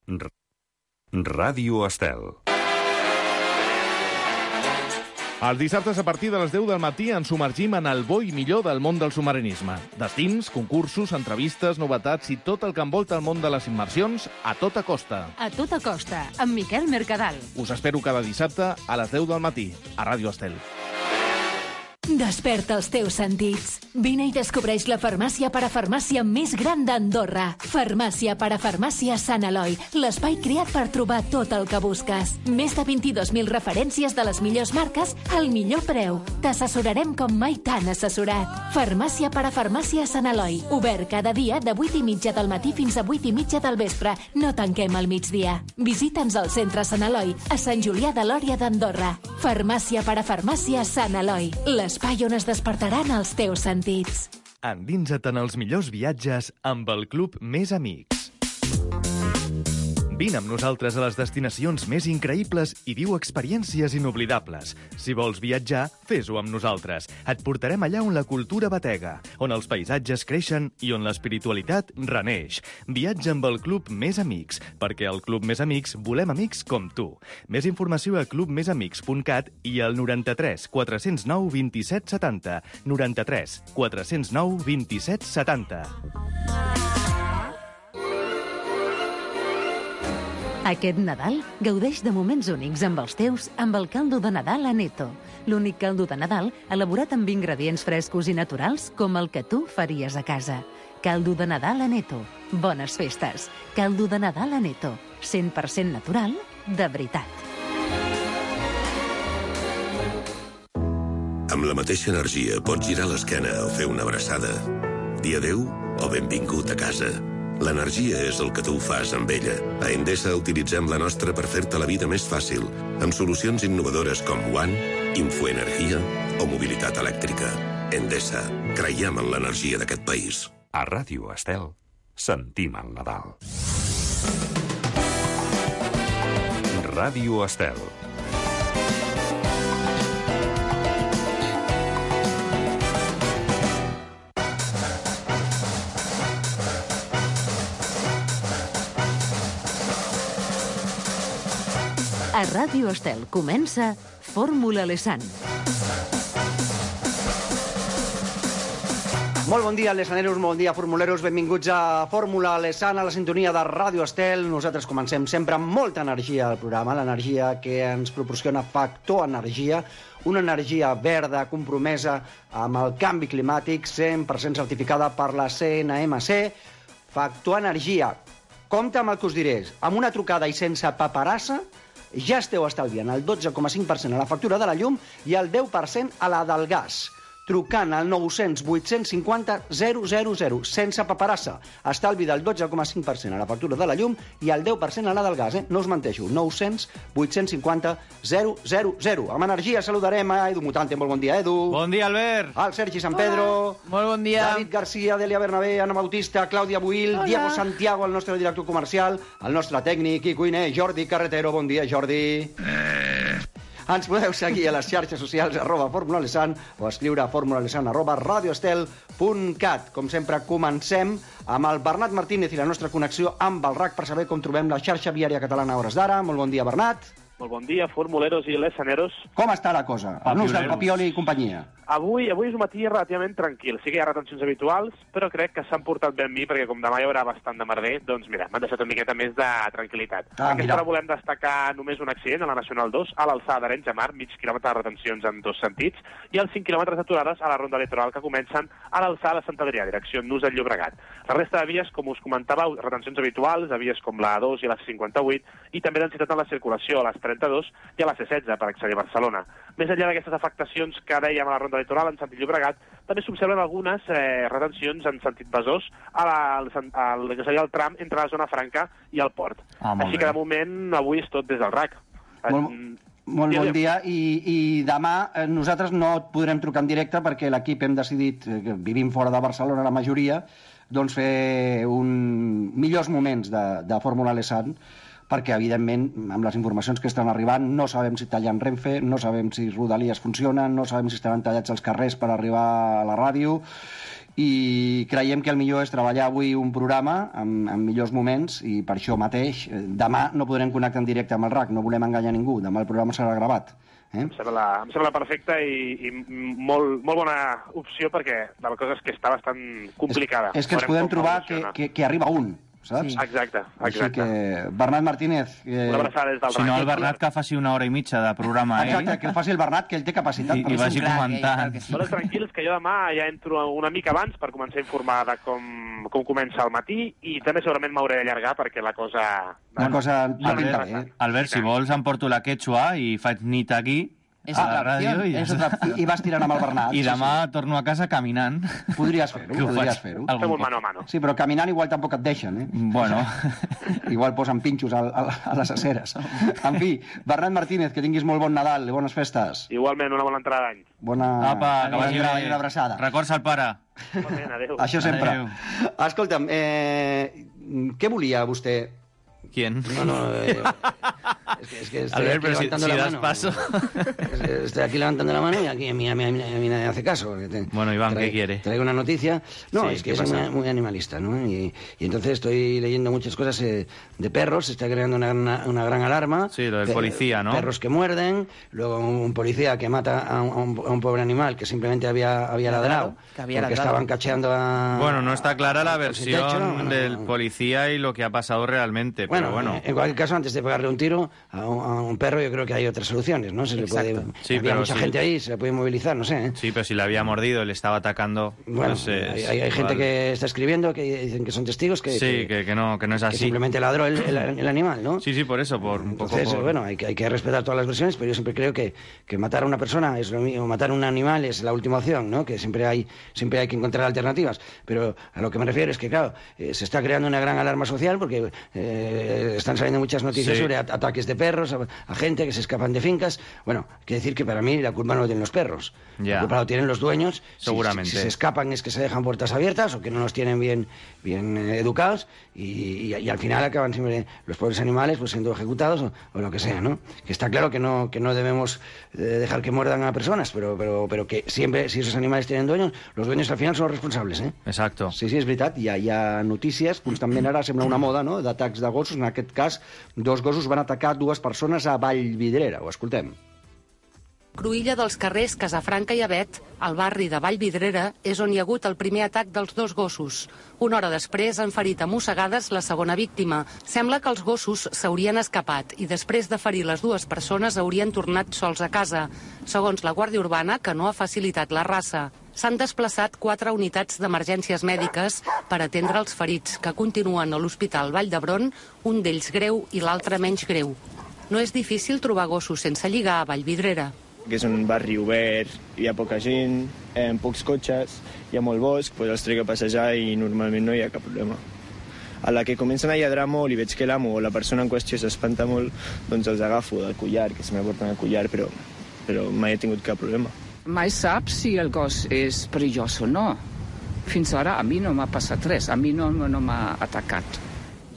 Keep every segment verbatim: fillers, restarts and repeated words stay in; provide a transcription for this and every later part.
R- Ràdio Estel. Els dissabtes a partir de les deu del matí ens submergim en el bo i millor del món del submarinisme. Destins, concursos, entrevistes, novetats i tot el que envolta el món de les immersions a tota costa. A tota costa, amb Miquel Mercadal. Us espero cada dissabte a les deu del matí, a Ràdio Estel. Desperta els teus sentits. Vine i descobreix la farmàcia parafarmàcia més gran d'Andorra. Farmàcia parafarmàcia Sant Eloi, l'espai creat per trobar tot el que busques. Més de vint-i-dos mil referències de les millors marques al millor preu. T'assessorarem com mai t'han assessorat. Farmàcia parafarmàcia Sant Eloi, obert cada dia de vuit i mitja del matí fins a vuit i mitja del vespre. No tanquem al migdia. Visita'ns al centre Sant Eloi, a Sant Julià de Lòria d'Andorra. Farmàcia parafarmàcia Sant Eloi, l'espai on es despertaran els teus sentits. Endinsa't en els millors viatges amb el Club Més Amics. Vine amb nosaltres a les destinacions més increïbles i viu experiències inoblidables. Si vols viatjar, fes-ho amb nosaltres. Et portarem allà on la cultura batega, on els paisatges creixen i on l'espiritualitat reneix. Viatja amb el Club Més Amics, perquè al Club Més Amics volem amics com tu. Més informació a club més amics punt cat i al noranta-tres quatre zero nou vint-i-set setanta. noranta-tres quatre zero nou vint-i-set setanta. Aquest Nadal gaudeix de moments únics amb els teus amb el caldo de Nadal Aneto. L'únic caldo de Nadal elaborat amb ingredients frescos i naturals com el que tu faries a casa. Caldo de Nadal Aneto. Bones festes. Caldo de Nadal Aneto. cent per cent natural, de veritat. Amb la mateixa energia pots girar l'esquena o fer una abraçada. Dir adeu o benvingut a casa. L'energia és el que tu fas amb ella. A Endesa utilitzem la nostra per fer-te la vida més fàcil, amb solucions innovadores com One, Infoenergia o mobilitat elèctrica. Endesa, creiem en l'energia d'aquest país. A Ràdio Estel, sentim el Nadal. Ràdio Estel. A Ràdio Estel comença Fórmula Lesan. Molt bon dia, lesaneros, molt bon dia, formuleros. Benvinguts a Fórmula Lesan, a la sintonia de Ràdio Estel. Nosaltres comencem sempre amb molta energia al programa, l'energia que ens proporciona Factor Energia, una energia verda compromesa amb el canvi climàtic, cent per cent certificada per la C N M C. Factor Energia. Compte amb el que us diré. Amb una trucada i sense paperassa, ja esteu estalviant el dotze coma cinc per cent a la factura de la llum i el deu per cent a la del gas. Trucant al nou cents vuit cents cinquanta zero zero zero, sense paperassa. Estalvi del dotze coma cinc per cent a la factura de la llum i el deu per cent a la del gas, eh? No us menteixo, nou cents vuit cents cinquanta zero zero zero. Amb energia saludarem a Edu Mutante. Molt bon dia, Edu. Bon dia, Albert. Al Sergi San Pedro. Hola. Molt bon dia. David García, Delia Bernabé, Anna Bautista, Clàudia Buil, Hola. Diego Santiago, el nostre director comercial, el nostre tècnic i cuiner, Jordi Carretero. Bon dia, Jordi. Eh... Ens podeu seguir a les xarxes socials arroba Fórmula Lesan o escriure a formulalesan arroba radioestel punt cat. Com sempre, comencem amb el Bernat Martínez i la nostra connexió amb el R A C per saber com trobem la xarxa viària catalana a hores d'ara. Molt bon dia, Bernat. Molt bon dia, formuleros i lesaneros. Com està la cosa? El nus del Papioli i companyia. Avui, avui és un matí relativament tranquil. Sí que hi ha retencions habituals, però crec que s'han portat bé amb mi, perquè com demà hi haurà bastant de merder, doncs mira, m'han deixat una miqueta més de tranquil·litat. Ah, Aquesta hora volem destacar només un accident a la Nacional dos, a l'alçada d'Arenys de Mar, mig quilòmetre de retencions en dos sentits, i els cinc quilòmetres aturades a la ronda litoral que comencen a l'alçada de Sant Adrià, direcció Nus del Llobregat. La resta de vies, com us comentàveu, retencions habituals, a vies com la A dos i la C cinquanta-vuit, i també densitat en la circulació a les trenta-dos i a la C setze per accedir a Barcelona. Més enllà d'aquestes afectacions que dèiem a la ronda litoral en sentit Llobregat, també s'observen algunes eh, retencions en sentit Besòs a la, al, al, que seria el tram entre la zona franca i el port. Ah, Així bé. que de moment avui és tot des del R A C. Molt, molt bon dia i, i demà eh, nosaltres no et podrem trucar en directe perquè l'equip hem decidit, eh, que vivim fora de Barcelona la majoria, doncs fer un millors moments de, de Fórmula Lesan, perquè, evidentment, amb les informacions que estan arribant, no sabem si tallen Renfe, no sabem si Rodalies funcionen, no sabem si estaran tallats els carrers per arribar a la ràdio, i creiem que el millor és treballar avui un programa amb, amb millors moments i per això mateix demà no podrem connectar en directe amb el R A C, no volem enganyar ningú, demà el programa serà gravat. Eh? Em sembla, em sembla perfecte i, i molt, molt bona opció perquè la cosa és que està bastant complicada. És, és que ens podem trobar que, que, que arriba un, saps? Sí. Exacte, exacte. Així que, Bernat Martínez... Eh... Una abraçada des del Si no, el Bernat que faci una hora i mitja de programa, eh? Exacte, que el faci el Bernat, que ell té capacitat. I, i vagi comentant. Però tranquils, que jo demà ja entro una mica abans per començar a informar de com, com comença el matí i també segurament m'hauré d'allargar perquè la cosa... La cosa no pinta bé. Albert, si vols em porto la quechua i faig nit aquí... És a la ràdio i, és otra... I vas tirant amb el Bernat. I demà sí, sí. torno a casa caminant. Podries fer-ho, podries fer-ho. Fem un mano a mano. Sí, però caminant igual tampoc et deixen, eh? Bueno. Igual posen pinxos a, a, a les aceres. En fi, Bernat Martínez, que tinguis molt bon Nadal i bones festes. Igualment, una bona entrada d'any. Bona... Apa, que vagi bé. Una abraçada. Records al pare. Igualment, adéu. Això sempre. Adéu. Escolta'm, eh, què volia vostè... ¿Quién? No, no, eh, es que, es que estoy Albert, aquí levantando si, si la das mano. paso. Estoy aquí levantando la mano y aquí a mí, a mí, a mí, a mí nadie hace caso. Te, bueno, Iván, trae, ¿qué quiere? Traigo una noticia. No, sí, es que soy muy, muy animalista, ¿no? Y, y entonces estoy leyendo muchas cosas eh, de perros, se está creando una, una, una gran alarma. Sí, lo del per, policía, ¿no? Perros que muerden, luego un policía que mata a un, a un, a un pobre animal que simplemente había, había ladrado, que había porque ladrado. estaban cacheando a... Bueno, no está clara la versión techo, ¿no? Bueno, del policía y lo que ha pasado realmente, bueno, pero bueno. En cualquier caso, antes de pegarle un tiro a un, a un perro, yo creo que hay otras soluciones, ¿no? Se le puede, sí, había pero mucha sí. gente ahí, se le puede movilizar, no sé. ¿eh? Sí, pero si le había mordido, le estaba atacando. Bueno, no sé, hay, hay, hay gente que está escribiendo, que dicen que son testigos, que, sí, que, que, que, no, que no es así. Que simplemente ladró el, el, el animal, ¿no? Sí, sí, por eso, por un Entonces, poco por... bueno, hay que, hay que respetar todas las versiones, pero yo siempre creo que, que matar a una persona es lo mismo, matar a un animal es la última opción, ¿no? Que siempre hay, siempre hay que encontrar alternativas. Pero a lo que me refiero es que, claro, eh, se está creando una gran alarma social porque eh, están saliendo muchas noticias sí. sobre at ataques de perros, a, a gente que se escapan de fincas. Bueno, hay que decir que para mí la culpa no la tienen los perros. Ya. La culpa la tienen los dueños. Seguramente. Si, si, si se escapan es que se dejan puertas abiertas o que no los tienen bien, bien eh, educados y, y, y al final acaban siempre los pobres animales pues siendo ejecutados o, o lo que sea, ¿no? Que está claro que no, que no debemos eh, dejar que muerdan a personas, pero, pero, pero que siempre, si esos animales tienen dueños, los dueños al final son los responsables, eh? Exacto. Sí, sí, és veritat. Hi ha, hi ha notícies, constantment ara sembla una moda, no?, d'atacs de gossos. En aquest cas, dos gossos van atacar dues persones a Vallvidrera. Ho escoltem. Cruïlla dels carrers Casafranca i Avet, al barri de Vallvidrera, és on hi ha hagut el primer atac dels dos gossos. Una hora després han ferit a mossegades la segona víctima. Sembla que els gossos s'haurien escapat i després de ferir les dues persones haurien tornat sols a casa, segons la Guàrdia Urbana, que no ha facilitat la raça. S'han desplaçat quatre unitats d'emergències mèdiques per atendre els ferits, que continuen a l'Hospital Vall d'Hebron, un d'ells greu i l'altre menys greu. No és difícil trobar gossos sense lligar a Vallvidrera. Que és un barri obert, hi ha poca gent, eh, pocs cotxes, hi ha molt bosc, doncs els trec a passejar i normalment no hi ha cap problema. A la que comencen a lladrar molt i veig que l'amo o la persona en qüestió s'espanta molt, doncs els agafo del collar, que se m'aporten el collar, però, però mai he tingut cap problema. Mai saps si el gos és perillós o no. Fins ara a mi no m'ha passat res, a mi no, no m'ha atacat.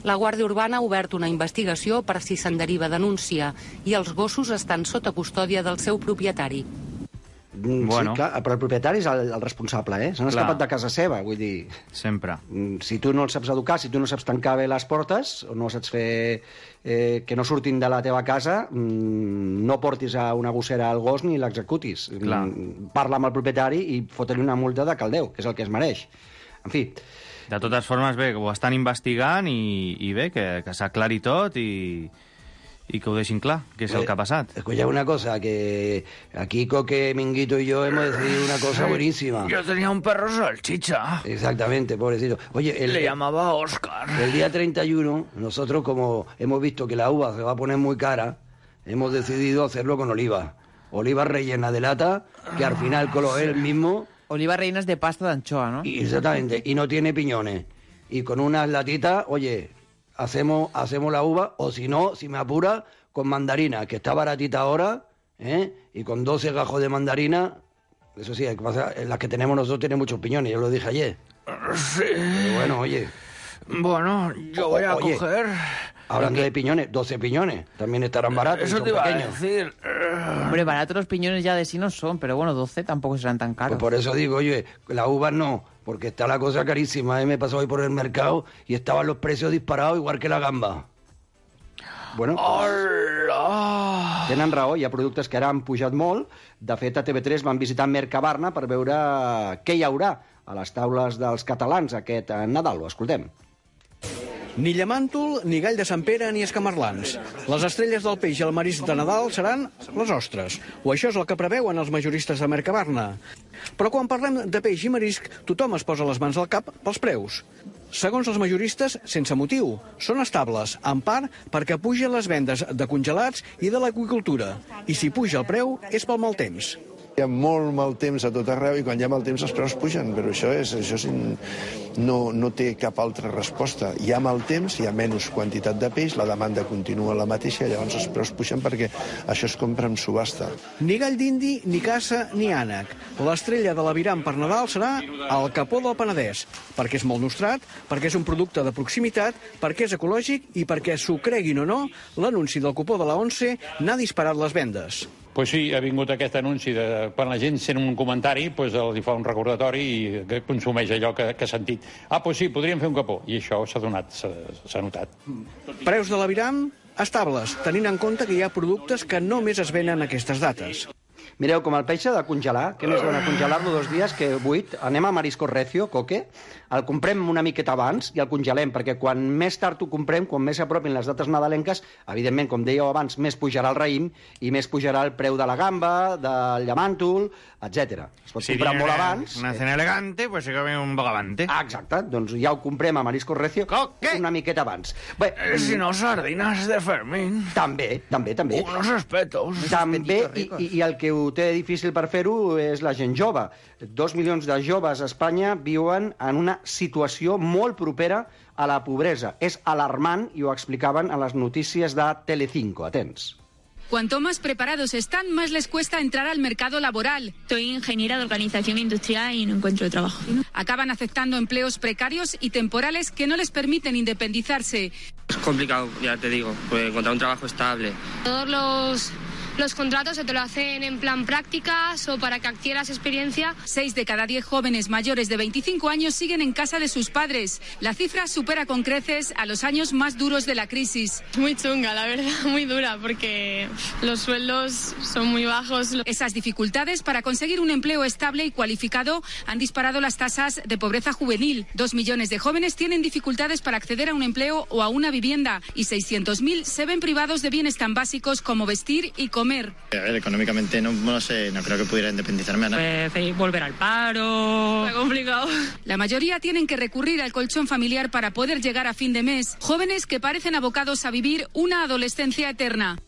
La Guàrdia Urbana ha obert una investigació per si se'n deriva denúncia i els gossos estan sota custòdia del seu propietari. Bueno. Sí, clar, però el propietari és el, el responsable, eh? S'han escapat de casa seva, vull dir... Sempre. Si tu no els saps educar, si tu no saps tancar bé les portes, o no saps fer eh, que no surtin de la teva casa, no portis a una gossera al gos ni l'executis. Parla amb el propietari i fot-li una multa de caldeu, que és el que es mereix. En fi... De totes formes, bé, ho estan investigant i, i bé, que, que s'aclari tot i, i que ho deixin clar, que és el que ha pasat. Escucha una cosa, que aquí Coque, Minguito y yo hemos decidido una cosa buenísima. Yo tenía un perro salchicha. Exactamente, pobrecito. Oye, el, le llamaba Oscar. El día treinta y uno, nosotros como hemos visto que la uva se va a poner muy cara, hemos decidido hacerlo con oliva. Oliva rellena de lata, que al final color el mismo... Oliva rellenas de pasta de anchoa, ¿no? Exactamente, y no tiene piñones. Y con unas latitas, oye, hacemos, hacemos la uva, o si no, si me apura, con mandarina, que está baratita ahora, ¿eh? Y con doce gajos de mandarina, eso sí, las que tenemos nosotros tienen muchos piñones, yo lo dije ayer. Sí. Pero bueno, oye. Bueno, yo voy a oye, coger... Hablando de piñones, doce piñones, también estarán baratos. Eso son te iba pequeños. a decir. Hombre, baratos los piñones ya de sí no son, pero bueno, doce tampoco serán tan caros. Pues por eso digo, oye, la uva no, porque está la cosa carísima. ¿eh? Me pasó hoy por el mercado y estaban los precios disparados igual que la gamba. Bueno, Hola! tenen raó, hi ha productes que ara han pujat molt. De fet, a T V tres van visitar Mercabarna per veure què hi haurà a les taules dels catalans aquest Nadal. Ho escoltem. Ni llamàntol, ni gall de Sant Pere, ni escamarlans. Les estrelles del peix i el marisc de Nadal seran les ostres. O això és el que preveuen els majoristes de Mercabarna. Però quan parlem de peix i marisc, tothom es posa les mans al cap pels preus. Segons els majoristes, sense motiu. Són estables, en part perquè pugen les vendes de congelats i de l'aqüicultura. I si puja el preu, és pel mal temps. Hi ha molt mal temps a tot arreu i quan hi ha mal temps els preus pugen, però això, és, això és, no, no té cap altra resposta. Hi ha mal temps, hi ha menys quantitat de peix, la demanda continua la mateixa i llavors els preus pugen perquè això es compra en subhasta. Ni gall d'indi, ni caça, ni ànec. L'estrella de l'aviram per Nadal serà el capó del Penedès, perquè és molt nostrat, perquè és un producte de proximitat, perquè és ecològic i perquè, s'ho creguin o no, l'anunci del cupó de la ONCE n'ha disparat les vendes. Pues sí, ha vingut aquest anunci de quan la gent sent un comentari, pues els hi fa un recordatori i consumeix allò que, que ha sentit. Ah, pues sí, podríem fer un capó. I això s'ha donat, s'ha notat. Preus de l'aviram estables, tenint en compte que hi ha productes que només es venen a aquestes dates. Mireu, com el peix s'ha de congelar, que més dona congelar-lo dos dies que buit, anem a Marisco Recio, coque, el comprem una miqueta abans i el congelem, perquè quan més tard ho comprem, quan més s'apropin les dates nadalenques, evidentment, com dèieu abans, més pujarà el raïm i més pujarà el preu de la gamba, del llamàntol, etcètera. Es pot si comprar molt abans. Una cena elegante, pues se come un bogavante. Ah, exacte, doncs ja ho comprem a Marisco Recio Coque. una miqueta abans. Bé, Eh, si no, sardinas de Fermín. També, també, també. Unos espetos. També, i, i, i el que ho té difícil per fer-ho és la gent jove. Dos milions de joves a Espanya viuen en una situació molt propera a la pobresa. És alarmant i ho explicaven a les notícies de Telecinco. Atents. Cuanto más preparados están, más les cuesta entrar al mercado laboral. Soy ingeniera de organización industrial y no encuentro trabajo. Acaban aceptando empleos precarios y temporales que no les permiten independizarse. Es complicado, ya te digo, pues encontrar un trabajo estable. Todos los... Los contratos se te lo hacen en plan prácticas o para que adquieras experiencia. Seis de cada diez jóvenes mayores de veinticinco años siguen en casa de sus padres. La cifra supera con creces a los años más duros de la crisis. Muy chunga, la verdad, muy dura, porque los sueldos son muy bajos. Esas dificultades para conseguir un empleo estable y cualificado han disparado las tasas de pobreza juvenil. Dos millones de jóvenes tienen dificultades para acceder a un empleo o a una vivienda y seiscientos mil se ven privados de bienes tan básicos como vestir y comer. A ver, económicamente no, no sé, no creo que pudiera independizarme a nada. Pues, volver al paro. Muy complicado. La mayoría tienen que recurrir al colchón familiar para poder llegar a fin de mes. Jóvenes que parecen abocados a vivir una adolescencia eterna.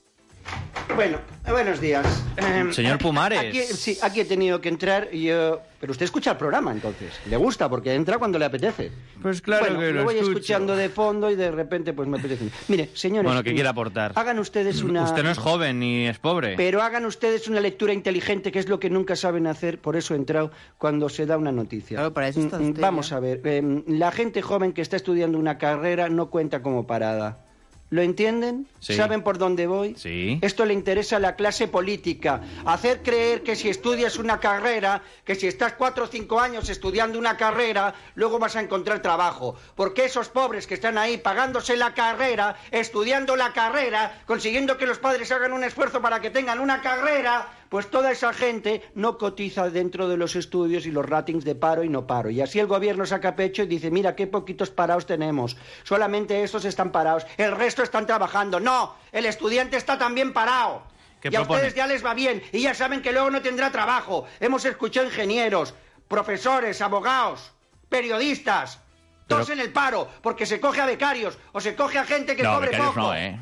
Bueno, buenos días. Eh, Señor Pumares. Aquí, sí, aquí he tenido que entrar y yo... Pero usted escucha el programa, entonces. Le gusta, porque entra cuando le apetece. Pues claro bueno, que lo lo voy escucho. escuchando de fondo y de repente pues me apetece. Mire, señores... Bueno, ¿qué quiere aportar? Hagan ustedes una... Usted no es joven ni es pobre. Pero hagan ustedes una lectura inteligente, que es lo que nunca saben hacer, por eso he entrado cuando se da una noticia. Claro, para eso está usted, Vamos ya. a ver, eh, la gente joven que está estudiando una carrera no cuenta como parada. ¿Lo entienden? Sí. ¿Saben por dónde voy? Sí. Esto le interesa a la clase política. Hacer creer que si estudias una carrera, que si estás cuatro o cinco años estudiando una carrera, luego vas a encontrar trabajo. Porque esos pobres que están ahí pagándose la carrera, estudiando la carrera, consiguiendo que los padres hagan un esfuerzo para que tengan una carrera, pues toda esa gente no cotiza dentro de los estudios y los ratings de paro y no paro. Y así el gobierno saca pecho y dice, mira qué poquitos parados tenemos. Solamente estos están parados. El resto están trabajando. No, el estudiante está también parado. ¿Qué y a propone? ustedes ya les va bien. Y ya saben que luego no tendrá trabajo. Hemos escuchado ingenieros, profesores, abogados, periodistas, todos Pero... en el paro, porque se coge a becarios o se coge a gente que no, cobre becarios poco. no, ¿eh?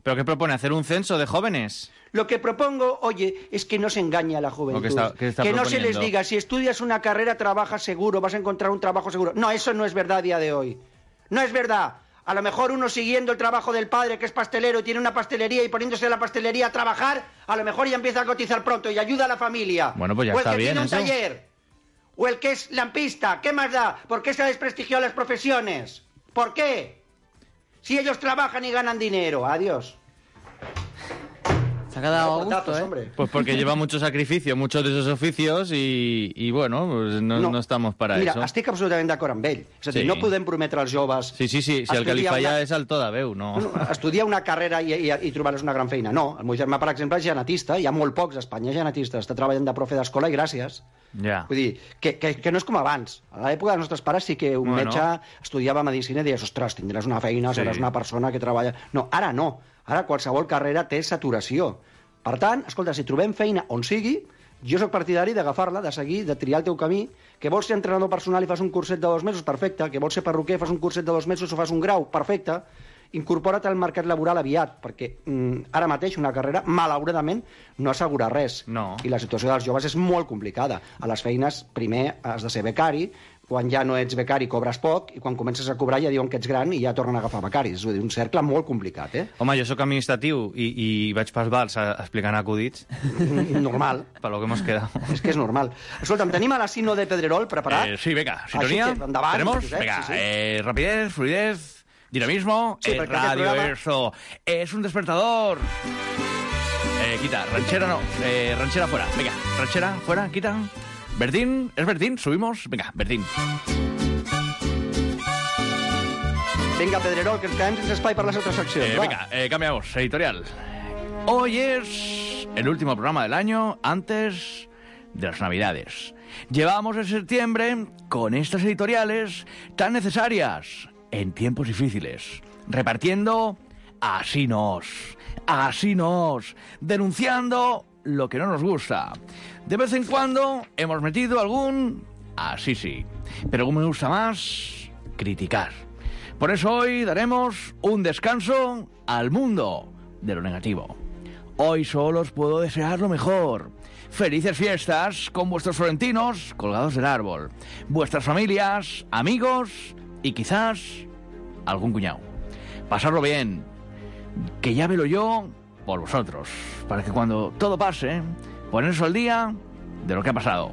¿Pero qué propone? ¿Hacer un censo de jóvenes? Lo que propongo, oye, es que no se engañe a la juventud. ¿O qué está- qué está que no se proponiendo? les diga, si estudias una carrera, trabajas seguro, vas a encontrar un trabajo seguro. No, eso no es verdad a día de hoy. No es verdad. A lo mejor uno siguiendo el trabajo del padre, que es pastelero, y tiene una pastelería, y poniéndose a la pastelería a trabajar, a lo mejor ya empieza a cotizar pronto y ayuda a la familia. Bueno, pues ya o el está que bien tiene un eso. taller. O el que es lampista. ¿Qué más da? ¿Por qué se ha desprestigiado las profesiones? ¿Por qué? Si ellos trabajan y ganan dinero. Adiós. Se ha quedado a gusto, ¿eh? Hombre. Pues porque lleva mucho sacrificio, muchos de esos oficios y, y bueno, pues no, no. no estamos para Mira, eso. Mira, estic absolutament d'acord amb ell. És a dir, Sí. no podem prometre als joves... Sí, sí, sí, si el que li falla una... és el to de veu, no... no estudiar una carrera i, i, i trobar-los una gran feina, no. El meu germà, per exemple, és genetista, hi ha molt pocs a Espanya genetistes, està treballant de profe d'escola i gràcies. Ja. Vull dir, que, que, que no és com abans. A l'època dels nostres pares sí que un bueno. metge estudiava medicina i deies, ostres, tindràs una feina, sí. seràs una persona que treballa... No, ara no. Ara qualsevol carrera té saturació. Per tant, escolta, si trobem feina on sigui, jo sóc partidari d'agafar-la, de seguir, de triar el teu camí, que vols ser entrenador personal i fas un curset de dos mesos, perfecte, que vols ser perruquer, fas un curset de dos mesos o fas un grau, perfecte, incorpora't al mercat laboral aviat, perquè mm, ara mateix una carrera, malauradament, no assegura res. No. I la situació dels joves és molt complicada. A les feines, primer has de ser becari, quan ja no ets becari cobres poc, i quan comences a cobrar ja diuen que ets gran i ja tornen a agafar becaris. És a dir, un cercle molt complicat, eh? Home, jo sóc administratiu i, i vaig pels bars explicant acudits. Normal. Per lo que hemos quedado. És que és normal. Escolta'm, tenim a la Sino de Pedrerol preparat? Eh, sí, venga, sintonía. Que, endavant, ¿Tenemos? Josep, venga, sí, sí. Eh, rapidez, fluidez, dinamismo, sí, eh, radio, programa... eso. Es un despertador. Eh, quita, ranchera no, eh, ranchera fuera. Venga, ranchera fuera, quita. Bertín, ¿es Bertín? Subimos. Venga, Bertín. Venga, Pedrerol, que ens quedem sense espai per les altres seccions. Eh, venga, eh, cambiamos, editorial. Hoy es el último programa del año antes de las Navidades. Llevamos en septiembre con estas editoriales tan necesarias en tiempos difíciles, repartiendo así nos, así nos, denunciando lo que no nos gusta. De vez en cuando hemos metido algún así sí, pero como me gusta más, criticar. Por eso hoy daremos un descanso al mundo de lo negativo. Hoy solo os puedo desear lo mejor. Felices fiestas con vuestros florentinos colgados del árbol, vuestras familias, amigos y quizás algún cuñado. Pasarlo bien, que ya velo yo por vosotros, para que cuando todo pase, ponerse al día de lo que ha pasado.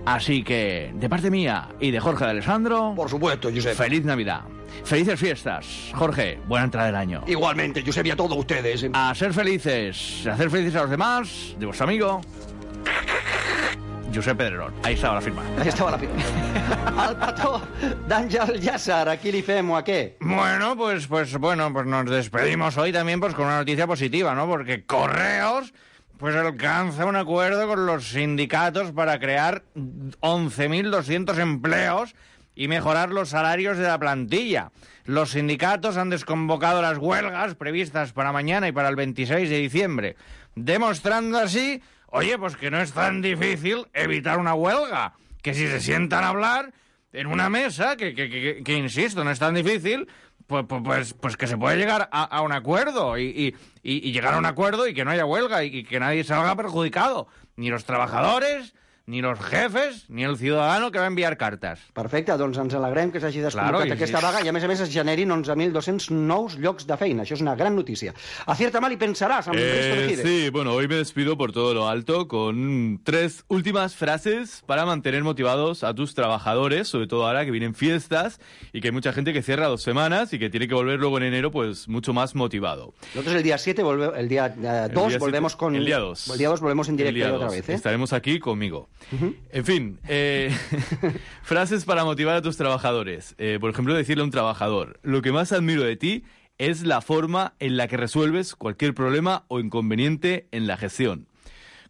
Así que, de parte mía y de Jorge de Alessandro... Por supuesto, Josep. Feliz Navidad. Felices fiestas. Jorge, buena entrada del año. Igualmente, Josep, y a todos ustedes. ¿eh? A ser felices, a hacer felices a los demás, de vuestro amigo... Josep Pedrerol. Ahí estaba la firma. Ahí estaba la firma. Al petó d'Àngel Llàcer, ¿a qui li fem o a qué? Bueno, pues, pues, bueno, pues nos despedimos hoy también pues con una noticia positiva, ¿no? Porque Correos... pues alcanza un acuerdo con los sindicatos para crear once mil doscientos empleos y mejorar los salarios de la plantilla. Los sindicatos han desconvocado las huelgas previstas para mañana y para el veintiséis de diciembre, demostrando así, oye, pues que no es tan difícil evitar una huelga, que si se sientan a hablar en una mesa, que, que, que, que insisto, no es tan difícil... Pues, pues, pues que se puede llegar a, a un acuerdo y, y, y llegar a un acuerdo y que no haya huelga y, y que nadie salga perjudicado. Ni los trabajadores, ni los jefes, ni el ciudadano que va a enviar cartes. Perfecte, doncs ens alegrem que s'hagi desconvocat claro, aquesta sí. vaga i a més a més es generin onze mil dos-cents nous llocs de feina. Això és una gran notícia. Acierta mal y pensarás, amb eh, Risto Mejide. Sí, bueno, hoy me despido por todo lo alto con tres últimas frases para mantener motivados a tus trabajadores, sobre todo ahora que vienen fiestas y que hay mucha gente que cierra dos semanas y que tiene que volver luego en enero pues mucho más motivado. Nosotros el día siete, volve, el día dos volvemos con... El día dos. El día dos volvemos en directo otra vez, ¿eh? Estaremos aquí conmigo. Uh-huh. En fin, Eh, frases para motivar a tus trabajadores. Eh, por ejemplo, decirle a un trabajador: lo que más admiro de ti es la forma en la que resuelves cualquier problema o inconveniente en la gestión.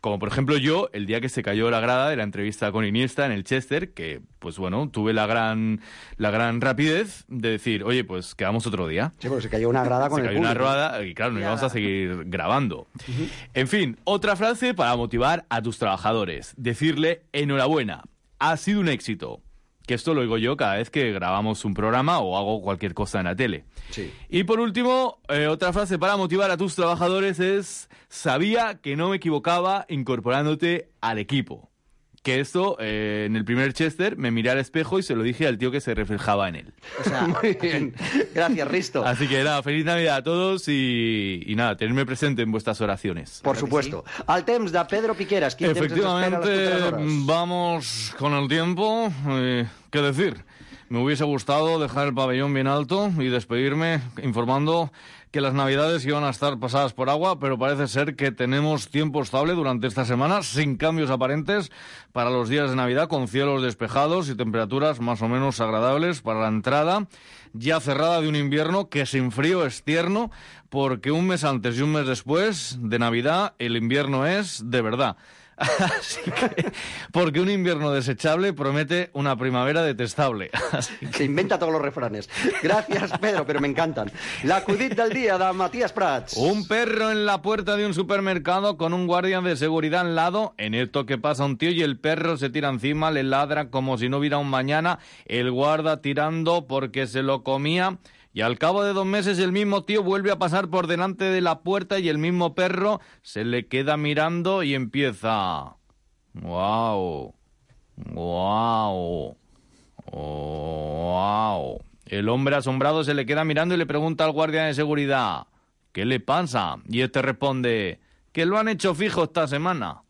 Como por ejemplo yo, el día que se cayó la grada de la entrevista con Iniesta en el Chester, que pues bueno, tuve la gran la gran rapidez de decir, oye, pues quedamos otro día. Sí, porque se cayó una grada con se el cayó público. una grada y claro, nos íbamos a seguir grabando. Uh-huh. En fin, otra frase para motivar a tus trabajadores. Decirle, enhorabuena, ha sido un éxito. Que esto lo digo yo cada vez que grabamos un programa o hago cualquier cosa en la tele. Sí. Y por último, eh, otra frase para motivar a tus trabajadores es: sabía que no me equivocaba incorporándote al equipo. Que esto, eh, en el primer Chester, me miré al espejo y se lo dije al tío que se reflejaba en él. O sea, muy bien. Gracias, Risto. Así que nada, feliz Navidad a todos y, y nada, tenerme presente en vuestras oraciones. Por supuesto. Sí. Al temps de Pedro Piqueras. Efectivamente, vamos con el tiempo. Eh, ¿Qué decir? Me hubiese gustado dejar el pabellón bien alto y despedirme informando que las Navidades iban a estar pasadas por agua, pero parece ser que tenemos tiempo estable durante esta semana, sin cambios aparentes para los días de Navidad, con cielos despejados y temperaturas más o menos agradables para la entrada ya cerrada de un invierno que sin frío es tierno, porque un mes antes y un mes después de Navidad el invierno es de verdad. Así que, porque un invierno desechable promete una primavera detestable. Así que... Se inventa todos los refranes. Gracias, Pedro, pero me encantan. L'acudit del día de Matías Prats. Un perro en la puerta de un supermercado con un guardia de seguridad al lado. En esto que pasa un tío y el perro se tira encima, le ladra como si no hubiera un mañana. El guarda tirando porque se lo comía. Y al cabo de dos meses el mismo tío vuelve a pasar por delante de la puerta y el mismo perro se le queda mirando y empieza... ¡Guau! ¡Guau! ¡Guau! El hombre asombrado se le queda mirando y le pregunta al guardia de seguridad, ¿qué le pasa? Y este responde, que lo han hecho fijo esta semana.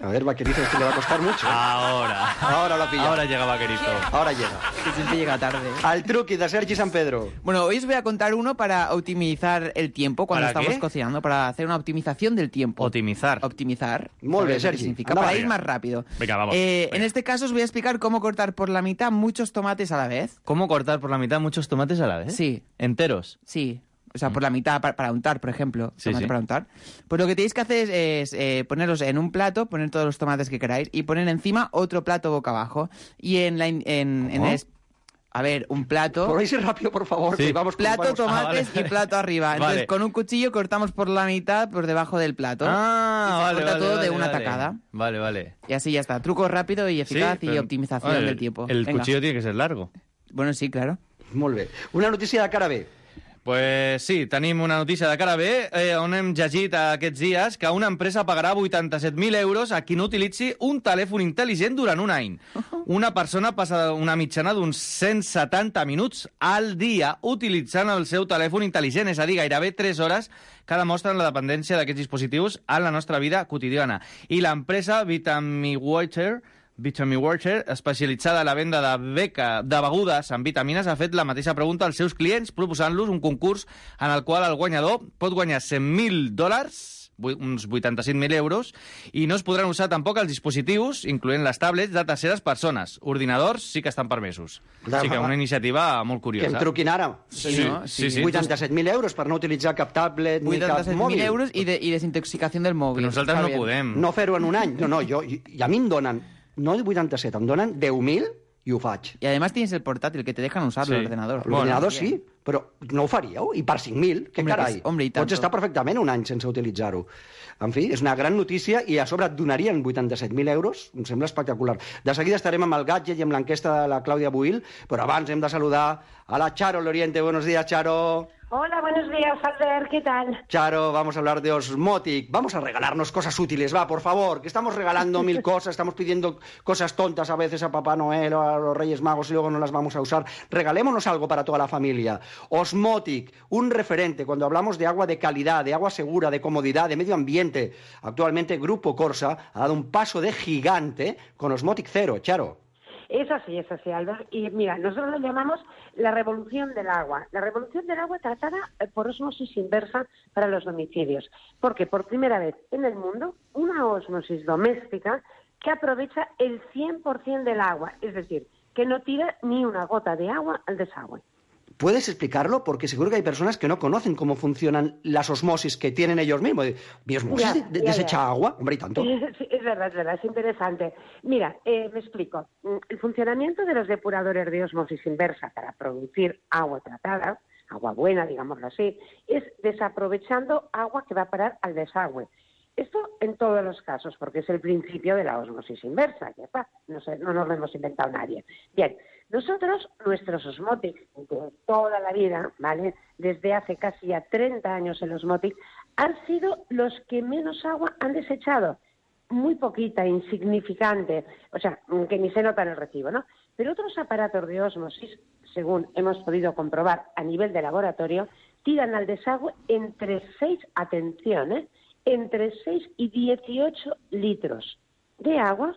A ver, Vaquerito, esto le va a costar mucho. Ahora. Ahora lo pilla. Ahora llega Vaquerito. Ahora llega. Que siempre llega tarde. Al truqui de Sergi San Pedro. Bueno, hoy os voy a contar uno para optimizar el tiempo cuando ¿Para estamos qué? cocinando, para hacer una optimización del tiempo. Optimizar. Optimizar. Molt bé, ¿Sabes lo que Sergi. significa? Anda, Para venga. ir más rápido. Venga, vamos. Eh, Venga. En este caso os voy a explicar cómo cortar por la mitad muchos tomates a la vez. ¿Cómo cortar por la mitad muchos tomates a la vez? Sí. ¿Enteros? Sí. O sea, por la mitad para, para untar, por ejemplo. Sí, tomate sí. para untar. Pues lo que tenéis que hacer es, es, eh, ponerlos en un plato, poner todos los tomates que queráis y poner encima otro plato boca abajo. Y en la... in- En, en ¿Cómo? es- a ver, un plato... Por ahí sí rápido, por favor. Sí. Que vamos con- Plato, vamos- tomates Ah, vale. y plato arriba. Entonces, Vale. con un cuchillo cortamos por la mitad por debajo del plato. Ah, y se vale, corta vale, todo vale, de una vale. tacada. Vale, vale. Y así ya está. Truco rápido y eficaz Sí, y pero- optimización Vale, del tiempo. El Venga. cuchillo tiene que ser largo. Bueno, sí, claro. Molt bé. Una notícia de cara B. Pues sí, tenim una notícia de cara B, eh, on hem llegit aquests dies que una empresa pagarà vuitanta-set mil euros a qui no utilitzi un telèfon intel·ligent durant un any. Una persona passa una mitjana d'uns cent setanta minuts al dia utilitzant el seu telèfon intel·ligent, és a dir, gairebé tres hores que demostren la dependència d'aquests dispositius en la nostra vida quotidiana. I l'empresa VitaMiWater VitaMiWater, especialitzada en la venda de, beca, de begudes amb vitamines, ha fet la mateixa pregunta als seus clients, proposant-los un concurs en el qual el guanyador pot guanyar cent mil dòlars, uns vuitanta-cinc mil euros, i no es podran usar tampoc els dispositius, incloent les tablets, de terceres persones. Ordinadors sí que estan permesos. Així que una iniciativa molt Que curiosa. em truquin ara. Sí, sí, sí, sí. vuitanta-set mil euros per no utilitzar cap tablet ni cap vuitanta-set mil mòbil. euros y, de, y desintoxicación del móvil. Però nosaltres Està no bien. podem. No fer-ho en un any. No, no, jo, i, i a mi em donen, no vuitanta-set, em donen deu mil i ho faig. Y además tienes el portátil que te dejan usar Sí. el ordenador. L'ordinador sí, però no ho faríeu? I per cinc mil? Què Hombre, carai? que és- hombre, i tanto. Pots estar perfectament un any sense utilitzar-ho. En fi, és una gran notícia i a sobre et donarien vuitanta-set mil euros. Em sembla espectacular. De seguida estarem amb el gadget i amb l'enquesta de la Clàudia Buil, però abans hem de saludar a la Charo Loriente. Buenos días, Charo. Hola, buenos días, Albert, ¿qué tal? Charo, vamos a hablar de Osmotic. Vamos a regalarnos cosas útiles, va, por favor, que estamos regalando mil cosas, estamos pidiendo cosas tontas a veces a Papá Noel o a los Reyes Magos y luego no las vamos a usar. Regalémonos algo para toda la familia. Osmotic, un referente cuando hablamos de agua de calidad, de agua segura, de comodidad, de medio ambiente. Actualmente Grupo Corsa ha dado un paso de gigante con Osmotic Cero, Charo. Es así, es así, Albert. Y mira, nosotros lo llamamos la revolución del agua. La revolución del agua tratada eh, por osmosis inversa para los domicilios. Porque por primera vez en el mundo, una osmosis doméstica que aprovecha el cien por ciento del agua. Es decir, que no tira ni una gota de agua al desagüe. ¿Puedes explicarlo? Porque seguro que hay personas que no conocen cómo funcionan las osmosis que tienen ellos mismos. ¿Mi osmosis Ya, de- de- ya, desecha ya. agua? Hombre, y tanto. Sí, es verdad, es verdad, es interesante. Mira, eh, me explico. Mm, El funcionamiento de los depuradores de osmosis inversa para producir agua tratada, agua buena, digámoslo así, es desaprovechando agua que va a parar al desagüe. Esto en todos los casos, porque es el principio de la osmosis inversa, ya está, no, sé, no nos lo hemos inventado nadie. Bien, nosotros, nuestros Osmotic de toda la vida, ¿vale? Desde hace casi ya treinta años el Osmotic, han sido los que menos agua han desechado. Muy poquita, insignificante, o sea, que ni se nota en el recibo, ¿no? Pero otros aparatos de osmosis, según hemos podido comprobar a nivel de laboratorio, tiran al desagüe entre seis, atención, ¿eh? entre seis y dieciocho litros de agua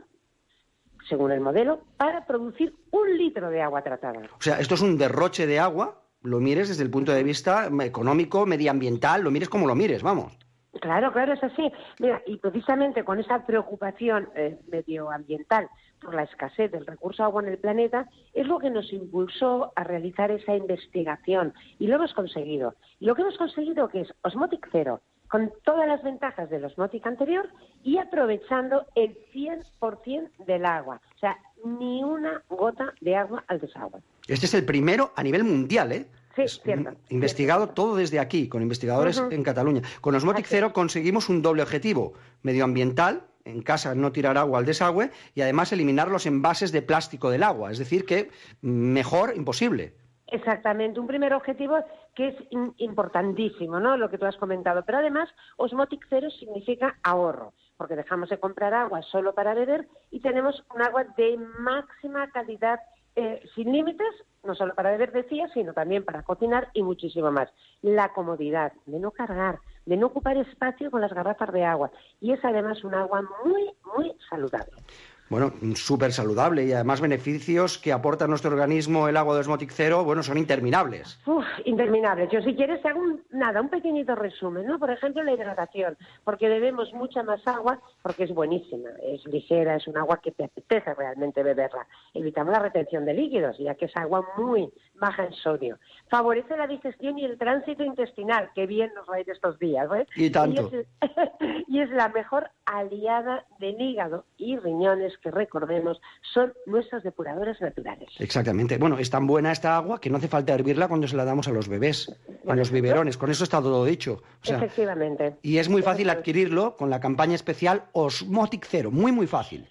según el modelo, para producir un litro de agua tratada. O sea, esto es un derroche de agua, lo mires desde el punto de vista económico, medioambiental, lo mires como lo mires, vamos. Claro, claro, es así. Mira, y precisamente con esa preocupación eh, medioambiental por la escasez del recurso agua en el planeta, es lo que nos impulsó a realizar esa investigación. Y lo hemos conseguido. Y lo que hemos conseguido que es Osmotic Zero, con todas las ventajas del Osmotic anterior y aprovechando el cien por ciento del agua. O sea, ni una gota de agua al desagüe. Este es el primero a nivel mundial, ¿eh? Sí, cierto. Investigado cierto. todo desde aquí, con investigadores Uh-huh. en Cataluña. Con Osmotic Zero conseguimos un doble objetivo medioambiental, en casa no tirar agua al desagüe, y además eliminar los envases de plástico del agua. Es decir, que mejor imposible. Exactamente, un primer objetivo que es in- importantísimo, ¿no? Lo que tú has comentado. Pero además, Osmotic Zero significa ahorro, porque dejamos de comprar agua solo para beber y tenemos un agua de máxima calidad, eh, sin límites, no solo para beber, decía, sino también para cocinar y muchísimo más. La comodidad de no cargar, de no ocupar espacio con las garrafas de agua. Y es además un agua muy, muy saludable. Bueno, súper saludable y además beneficios que aporta a nuestro organismo el agua de Osmotic Zero, bueno, son interminables. Uf, interminables. Yo si quieres te hago un, nada, un pequeñito resumen, ¿no? Por ejemplo, la hidratación, porque bebemos mucha más agua porque es buenísima, es ligera, es un agua que te apetece realmente beberla. Evitamos la retención de líquidos, ya que es agua muy baja en sodio. Favorece la digestión y el tránsito intestinal, que bien nos va a ir estos días, ¿eh? Y tanto. Y es, y es la mejor aliada del hígado y riñones, que recordemos son nuestros depuradores naturales. Exactamente. Bueno, es tan buena esta agua que no hace falta hervirla cuando se la damos a los bebés, a los biberones. Con eso está todo dicho. O sea, efectivamente. Y es muy fácil adquirirlo con la campaña especial Osmotic Zero. Muy, muy fácil.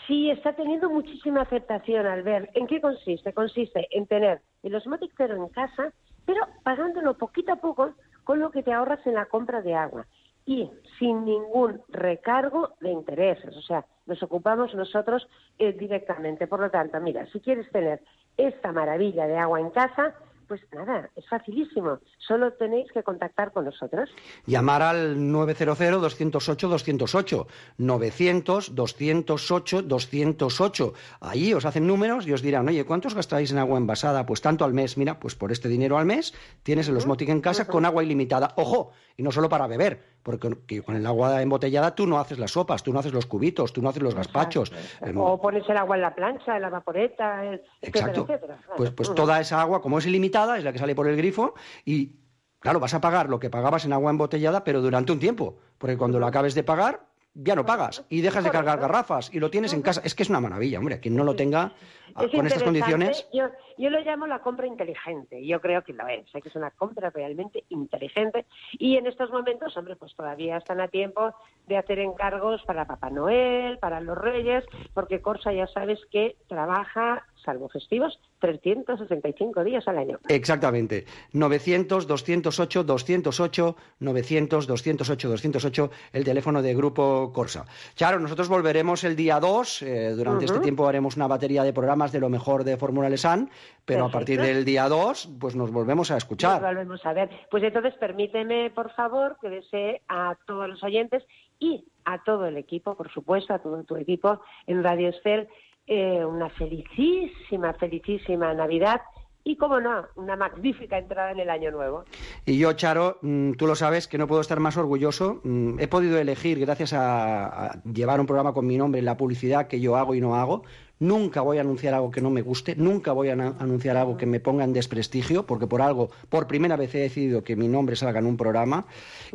Sí, está teniendo muchísima aceptación, Albert. ¿En qué consiste? Consiste en tener el Osmotic Zero en casa, pero pagándolo poquito a poco con lo que te ahorras en la compra de agua. Y sin ningún recargo de intereses. O sea, nos ocupamos nosotros eh, directamente. Por lo tanto, mira, si quieres tener esta maravilla de agua en casa, pues nada, es facilísimo. Solo tenéis que contactar con nosotros. Llamar al nueve cero cero, dos cero ocho, dos cero ocho, novecientos, doscientos ocho, doscientos ocho. Ahí os hacen números y os dirán, oye, ¿cuántos gastáis en agua envasada? Pues tanto al mes. Mira, pues por este dinero al mes tienes el Osmotic en casa con agua ilimitada. ¡Ojo! Y no solo para beber, porque con el agua embotellada tú no haces las sopas, tú no haces los cubitos, tú no haces los gazpachos. O pones el agua en la plancha, en la vaporeta, el... Exacto. etcétera, etcétera. Pues, pues toda esa agua, como es ilimitada, es la que sale por el grifo y, claro, vas a pagar lo que pagabas en agua embotellada, pero durante un tiempo, porque cuando lo acabes de pagar, ya no pagas y dejas de cargar garrafas y lo tienes en casa. Es que es una maravilla, hombre, quien no lo tenga Es con estas condiciones... Yo, yo lo llamo la compra inteligente, yo creo que lo es, que es una compra realmente inteligente y en estos momentos, hombre, pues todavía están a tiempo de hacer encargos para Papá Noel, para los Reyes, porque Corsa ya sabes que trabaja, salvo festivos, trescientos sesenta y cinco días al año. Exactamente. novecientos, doscientos ocho, doscientos ocho, novecientos, doscientos ocho, doscientos ocho, el teléfono de Grupo Corsa. Charo, nosotros volveremos el día dos, eh, durante uh-huh. este tiempo haremos una batería de programas de lo mejor de Fórmula Lesan, pero Perfecto. A partir del día dos, pues nos volvemos a escuchar. Nos volvemos a ver. Pues entonces permíteme, por favor, que desee a todos los oyentes y a todo el equipo, por supuesto, a todo tu equipo en Radio Estel, eh, una felicísima, felicísima Navidad y, como no, una magnífica entrada en el año nuevo. Y yo, Charo, tú lo sabes, que no puedo estar más orgulloso. He podido elegir, gracias a, a llevar un programa con mi nombre, la publicidad que yo hago y no hago. Nunca voy a anunciar algo que no me guste, nunca voy a anunciar algo que me ponga en desprestigio, porque por algo, por primera vez he decidido que mi nombre salga en un programa.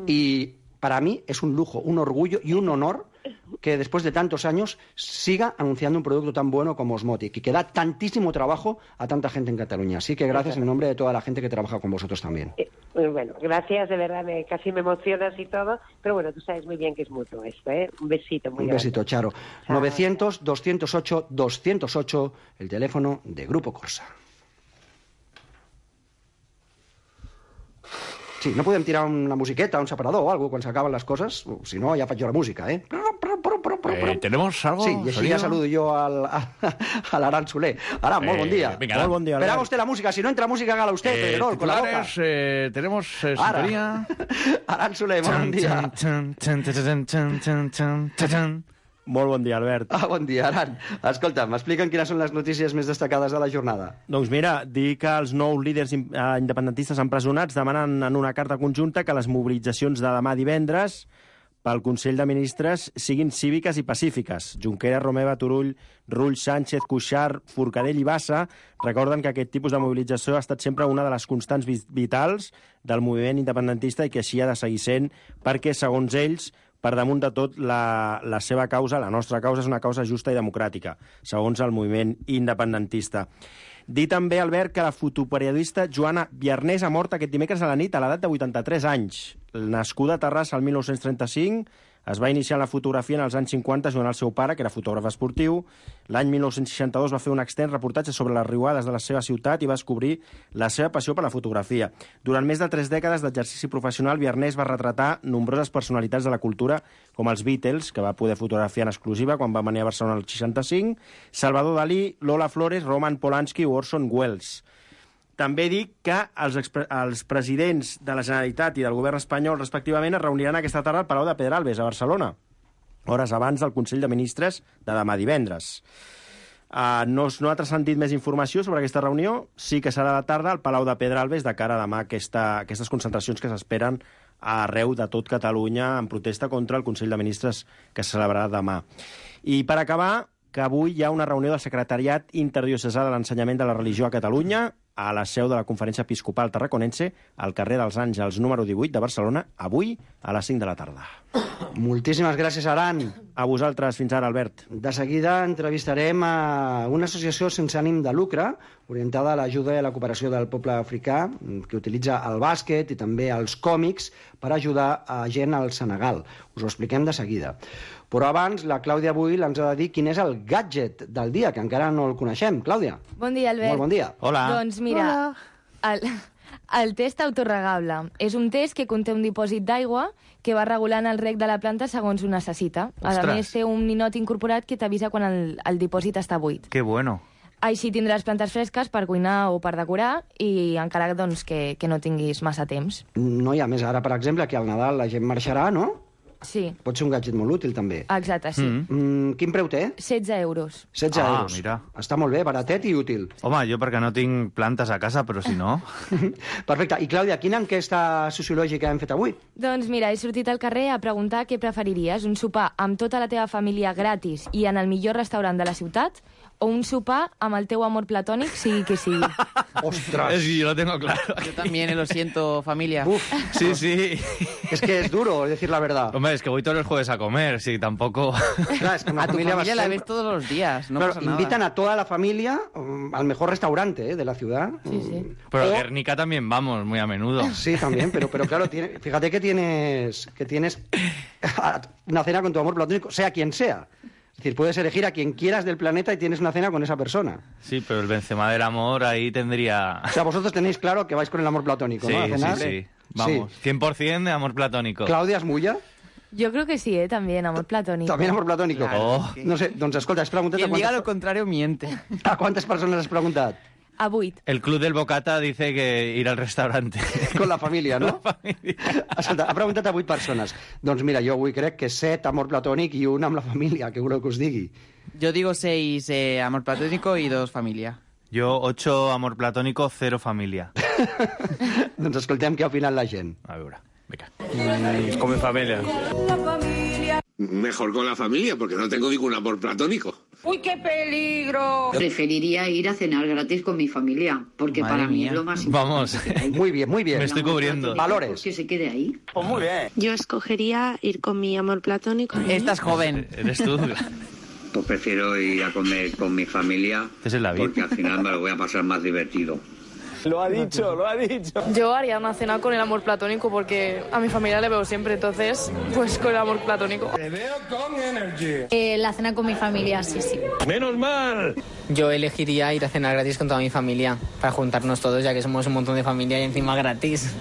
Y para mí es un lujo, un orgullo y un honor que después de tantos años siga anunciando un producto tan bueno como Osmotic y que da tantísimo trabajo a tanta gente en Cataluña. Así que gracias en nombre de toda la gente que trabaja con vosotros también. Eh, bueno, gracias, de verdad, me, casi me emocionas y todo, pero bueno, tú sabes muy bien que es mutuo esto, ¿eh? Un besito muy Un grande. besito, Charo. Chao. novecientos, doscientos ocho, doscientos ocho, el teléfono de Grupo Corsa. Sí, no podem tirar una musiqueta, un separador o algo quan s'acaben les coses, si no ja faig jo la música, eh? Eh, ¿Tenemos algo? Sí, y així ja saludo yo al, a, a l'Aran Soler. Aran, molt bon dia. Eh, venga, molt bon dia. Esperaba usted la música, si no entra música, hágala usted, eh, Pedrerol, con la boca. Eh, tenemos eh, sintonía. Aran Soler, bon dia. Molt bon dia, Albert. Ah, bon dia, Aran. Escolta, m'expliquen quines són les notícies més destacades de la jornada. Doncs mira, dir que els nous líders independentistes empresonats demanen en una carta conjunta que les mobilitzacions de demà divendres pel Consell de Ministres siguin cíviques i pacífiques. Junqueras, Romeva, Turull, Rull, Sánchez, Cuixart, Forcadell i Bassa recorden que aquest tipus de mobilització ha estat sempre una de les constants vitals del moviment independentista i que així ha de seguir sent perquè, segons ells, per damunt de tot, la, la seva causa, la nostra causa, és una causa justa i democràtica, segons el moviment independentista. Dir també, Albert, que la fotoperiodista Joana Biarnés ha mort aquest dimecres a la nit a l'edat de vuitanta-tres anys. Nascuda a Terrassa el mil nou-cents trenta-cinc, es va iniciar en la fotografia en els anys cinquanta jugant al seu pare, que era fotògraf esportiu. L'any mil nou-cents seixanta-dos va fer un extens reportatge sobre les riuades de la seva ciutat i va descobrir la seva passió per la fotografia. Durant més de tres dècades d'exercici professional, Biarnés va retratar nombroses personalitats de la cultura, com els Beatles, que va poder fotografiar en exclusiva quan va venir a Barcelona el seixanta-cinc, Salvador Dalí, Lola Flores, Roman Polanski o Orson Welles. També dic que els, els presidents de la Generalitat i del govern espanyol, respectivament, es reuniran aquesta tarda al Palau de Pedralbes, a Barcelona, hores abans del Consell de Ministres de demà divendres. Uh, no, no ha transcendit més informació sobre aquesta reunió, sí que serà a la tarda al Palau de Pedralbes de cara a demà aquesta, aquestes concentracions que s'esperen arreu de tot Catalunya en protesta contra el Consell de Ministres que se celebrarà demà. I per acabar, que avui hi ha una reunió del Secretariat Interdiocesà de l'Ensenyament de la Religió a Catalunya a la seu de la Conferència Episcopal Tarraconense, al carrer dels Àngels número divuit de Barcelona, avui a les cinc de la tarda. Moltíssimes gràcies, Aran. A vosaltres, fins ara, Albert. De seguida entrevistarem a una associació sense ànim de lucre orientada a l'ajuda i a la cooperació del poble africà, que utilitza el bàsquet i també els còmics per ajudar a gent al Senegal. Us ho expliquem de seguida. Però abans, la Clàudia avui ens ha de dir quin és el gadget del dia, que encara no el coneixem. Clàudia. Bon dia, Albert. Molt bon dia. Hola. Doncs mira, el, el test autorregable és un test que conté un dipòsit d'aigua que va regulant el reg de la planta segons ho necessita. A més, té un ninot incorporat que t'avisa quan el, el dipòsit està buit. Que bueno. Així tindràs plantes fresques per cuinar o per decorar i encara doncs, que, que no tinguis massa temps. No hi ha més. Ara, per exemple, que al Nadal la gent marxarà, no? Sí. Pot ser un gadget molt útil, també. Exacte, sí. Mm. Mm, quin preu té? setze euros. setze ah, euros. Mira. Està molt bé, baratet i útil. Home, jo perquè no tinc plantes a casa, però si no... Perfecte. I, Clàudia, quina enquesta sociològica hem fet avui? Doncs mira, he sortit al carrer a preguntar què preferiries, un sopar amb tota la teva família gratis i en el millor restaurant de la ciutat o un sopar amb el teu amor platònic, sigui que sigui. ¡Ostras! Sí, yo lo tengo claro. Yo también, lo siento, familia. Uf, sí, sí. Es que es duro decir la verdad. Hombre, es que voy todos los jueves a comer, sí, tampoco... Claro, es que una a tu familia, familia la siempre... ves todos los días, no claro, pasa nada. invitan a toda la familia um, al mejor restaurante ¿eh? de la ciudad. Sí, sí. Pero o... a Guernica también vamos, muy a menudo. Sí, también, pero, pero claro, tiene... fíjate que tienes, que tienes una cena con tu amor platónico, sea quien sea. Es decir, puedes elegir a quien quieras del planeta y tienes una cena con esa persona. Sí, pero el Benzema del amor ahí tendría... O sea, vosotros tenéis claro que vais con el amor platónico, sí, ¿no? A cenar. Sí, sí, vamos, sí. cien por ciento de amor platónico. ¿Claudia es mulla? Yo creo que sí, ¿eh? También, amor platónico. También amor platónico. Claro, oh. No sé, doncs escolta, has preguntat... Quien a diga quantes... lo contrario miente. ¿A cuántas personas has preguntat? A vuit. El club del Bocata dice que ir al restaurante. Con la família, no? La família. Escolta, ha preguntat a vuit persones. Doncs mira, jo avui crec que set amor platònic i un amb la família, que voleu que us digui? Yo digo seis eh, amor platónico y dos familia. Yo ocho amor platónico, cero familia. Doncs escoltem què ha opinat la gent. A veure, venga. Mm, con mi familia. Mejor con la familia, porque no tengo ningún amor platónico. ¡Uy, qué peligro! Preferiría ir a cenar gratis con mi familia, porque Madre para mí mía. es lo más importante. Vamos. Muy bien, muy bien. Me estoy cubriendo. Valores. Que se quede ahí. Pues muy bien. Yo escogería ir con mi amor platónico. Esta es joven. Eres tú. Pues prefiero ir a comer con mi familia, es el David. Porque al final me lo voy a pasar más divertido. Lo ha dicho, lo ha dicho. Yo haría una cena con el amor platónico porque a mi familia le veo siempre, entonces, pues con el amor platónico. Te veo con energy. Eh, la cena con mi familia, sí, sí. ¡Menos mal! Yo elegiría ir a cenar gratis con toda mi familia, para juntarnos todos, ya que somos un montón de familia y encima gratis.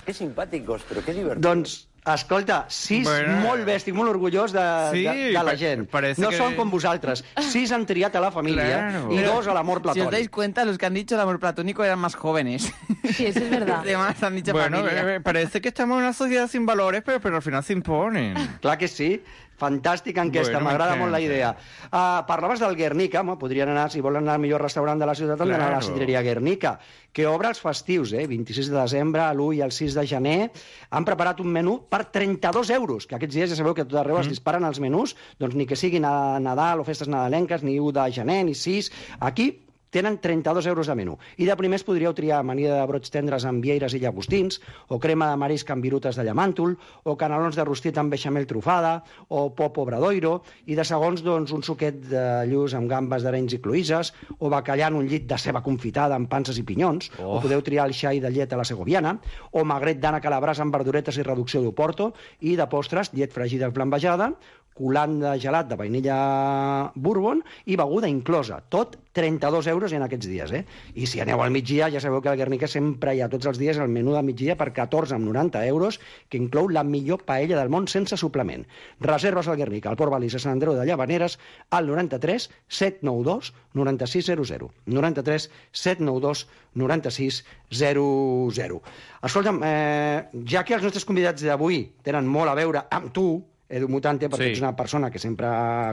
Qué simpàticos, però que divertidos. Doncs, escolta, sis, bueno, molt bé, estic molt orgullós de, sí, de, de la gent. No que... són com vosaltres. Sis han triat a la família claro. y dos al amor platónico. Si os dais cuenta, los que han dicho el amor platónico eran más jóvenes. Sí, eso es verdad. Los demás han dicho bueno, familia. Eh, parece que estamos en una sociedad sin valores, pero, pero al final se imponen. Clar que sí. Fantàstica enquesta, Bueno, m'agrada m'encanta. molt la idea. Uh, parlaves del Guernica, home, podrien anar, si volen anar al millor restaurant de la ciutat, han d'anar a la Claro. Sidreria Guernica, que obre els festius, eh? vint-i-sis de desembre, l'u i el sis de gener. Han preparat un menú per trenta-dos euros, que aquests dies ja sabeu que a tot arreu mm. es disparen els menús, doncs ni que siguin a Nadal o festes nadalenques, ni u de gener, ni sis. Aquí tenen trenta-dos euros de menú. I de primers podríeu triar amanida de brots tendres amb vieires i llagostins, o crema de marisc amb virutes de llamàntol, o canelons de rostit amb beixamel trufada, o pop obradoiro, i de segons, doncs, un suquet de lluç amb gambes d'arenys i cloïsses, o bacallà en un llit de ceba confitada amb panses i pinyons, Oh. o podeu triar el xai de llet a la segoviana, o magret d'ànec a la brasa amb verduretes i reducció d'oporto, i de postres, llet fregida flambejada, colant de gelat de vainilla bourbon i beguda inclosa. Tot trenta-dos euros en aquests dies, eh? I si aneu al migdia, ja sabeu que al Guernica sempre hi ha tots els dies el menú de migdia per catorze coma noranta euros, que inclou la millor paella del món sense suplement. Reserves al Guernica, al Port Balís, a Sant Andreu de Llavaneres, al noranta-tres set nou dos noranta-sis zero zero. noranta-tres set nou dos noranta-sis zero zero. Escolta'm, eh, ja que els nostres convidats d'avui tenen molt a veure amb tu, Edu Mutante, perquè Sí. ets una persona que sempre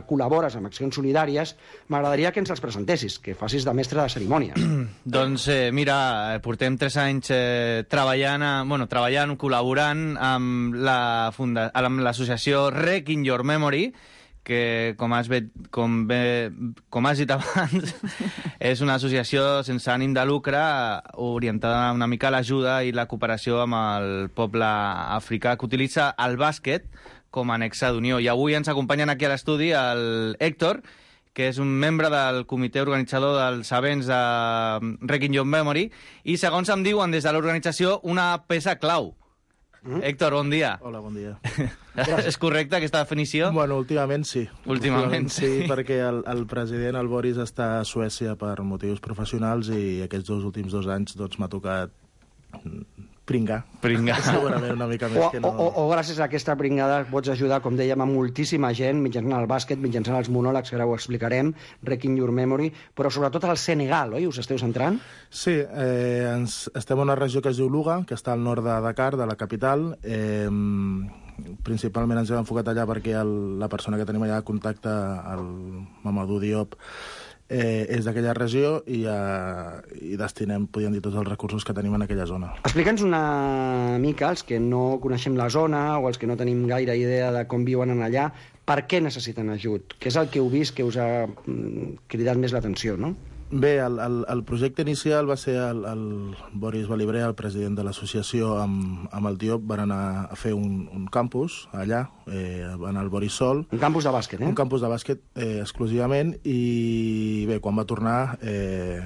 col·labores amb accions solidàries, m'agradaria que ens els presentessis, que facis de mestre de cerimònies. Doncs eh, mira, portem tres anys eh, treballant, a, bueno, treballant, col·laborant amb la funda, amb l'associació Rec in Your Memory, que, com has, bet, com, bé, com has dit abans, és una associació sense ànim de lucre orientada una mica a l'ajuda i la cooperació amb el poble africà, que utilitza el bàsquet com a nexe d'unió. I avui ens acompanyen aquí a l'estudi el Héctor, que és un membre del comitè organitzador dels events de Rec in Your Memory, i segons em diuen des de l'organització, una peça clau. Mm? Héctor, bon dia. Hola, bon dia. És correcta aquesta definició? Bueno, últimament sí. Últimament, sí. perquè el, el president, el Boris, està a Suècia per motius professionals i aquests dos últims dos anys doncs, m'ha tocat pringar. Pringar. Segurament una mica més O, que o, no... o, o gràcies a aquesta pringada pots ajudar, com dèiem, a moltíssima gent, mitjançant el bàsquet, mitjançant els monòlegs, que ara ho explicarem, Rec in Your Memory, però sobretot al Senegal, oi? Us esteu centrant? Sí, eh, ens, estem en una regió que es diu Luga, que està al nord de Dakar, de la capital. Eh, principalment ens hem enfocat allà perquè el, la persona que tenim allà de contacte, el Mamadou Diop, eh, és d'aquella regió i, eh, i destinem, podríem dir, tots els recursos que tenim en aquella zona. Explica'ns una mica, els que no coneixem la zona o els que no tenim gaire idea de com viuen en allà, per què necessiten ajut? Què és el que heu vist que us ha mm, cridat més l'atenció, no? Bé, el, el, el projecte inicial va ser el, el Boris Balibrer, el president de l'associació, amb, amb el Diop, van anar a fer un, un campus allà, eh, van al Boris Sol. Un campus de bàsquet, eh? Un campus de bàsquet eh, exclusivament, i bé, quan va tornar eh,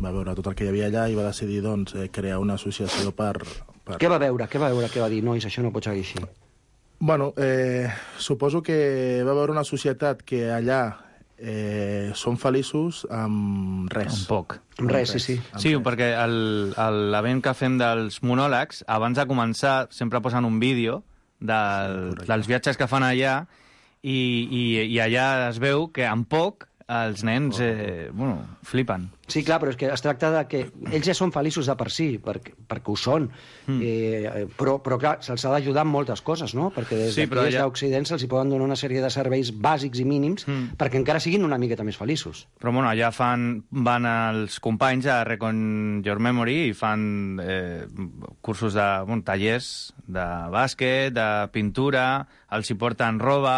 va veure tot el que hi havia allà i va decidir doncs, eh, crear una associació per, per... Què va veure? Què va veure? Què va dir? Nois, això no pot seguir així. Bueno, eh, suposo que va veure una societat que allà eh, són feliços amb res. Un poc. Amb res, sí, sí. Sí, perquè l'event que fem dels monòlegs, abans de començar, sempre posen un vídeo del, dels viatges que fan allà i, i, i allà es veu que amb poc els nens eh, bueno, flipen. Sí, clar, però és que es tracta de que ells ja són feliços de per si, perquè, perquè ho són, mm. eh, però, però clar, se'ls ha d'ajudar amb moltes coses, no? Perquè des sí, d'aquí, des ja... d'Occident, se'ls poden donar una sèrie de serveis bàsics i mínims mm. perquè encara siguin una miqueta més feliços. Però bueno, allà fan, van els companys a Rec in Your Memory i fan eh, cursos de bueno, tallers de bàsquet, de pintura, els hi porten roba.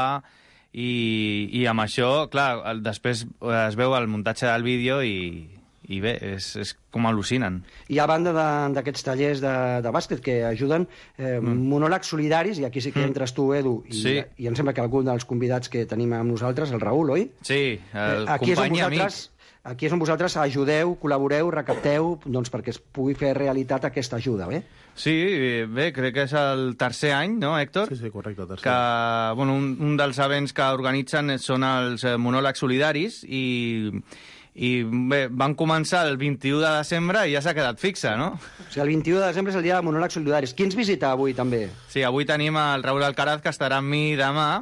I, i amb això, clar, després es veu el muntatge del vídeo i, i bé, és, és com al·lucinen. I a banda d'aquests tallers de, de bàsquet que ajuden, eh, mm. monòlegs solidaris, i aquí sí que entres tu, Edu, i, sí. i em sembla que algun dels convidats que tenim amb nosaltres, el Raül, oi? Sí, el eh, company i amic. Aquí és on vosaltres ajudeu, col·laboreu, recapteu, doncs perquè es pugui fer realitat aquesta ajuda, bé? Sí, bé, crec que és el tercer any, no, Héctor? Sí, sí, correcte, tercer. Que, bueno, un, un dels events que organitzen són els monòlegs solidaris i, i bé, van començar el vint-i-u de desembre i ja s'ha quedat fixa, no? O sigui, el vint-i-u de desembre és el dia de monòlegs solidaris. Qui ens visita avui, també? Sí, avui tenim el Raül Alcaraz, que estarà amb mi demà,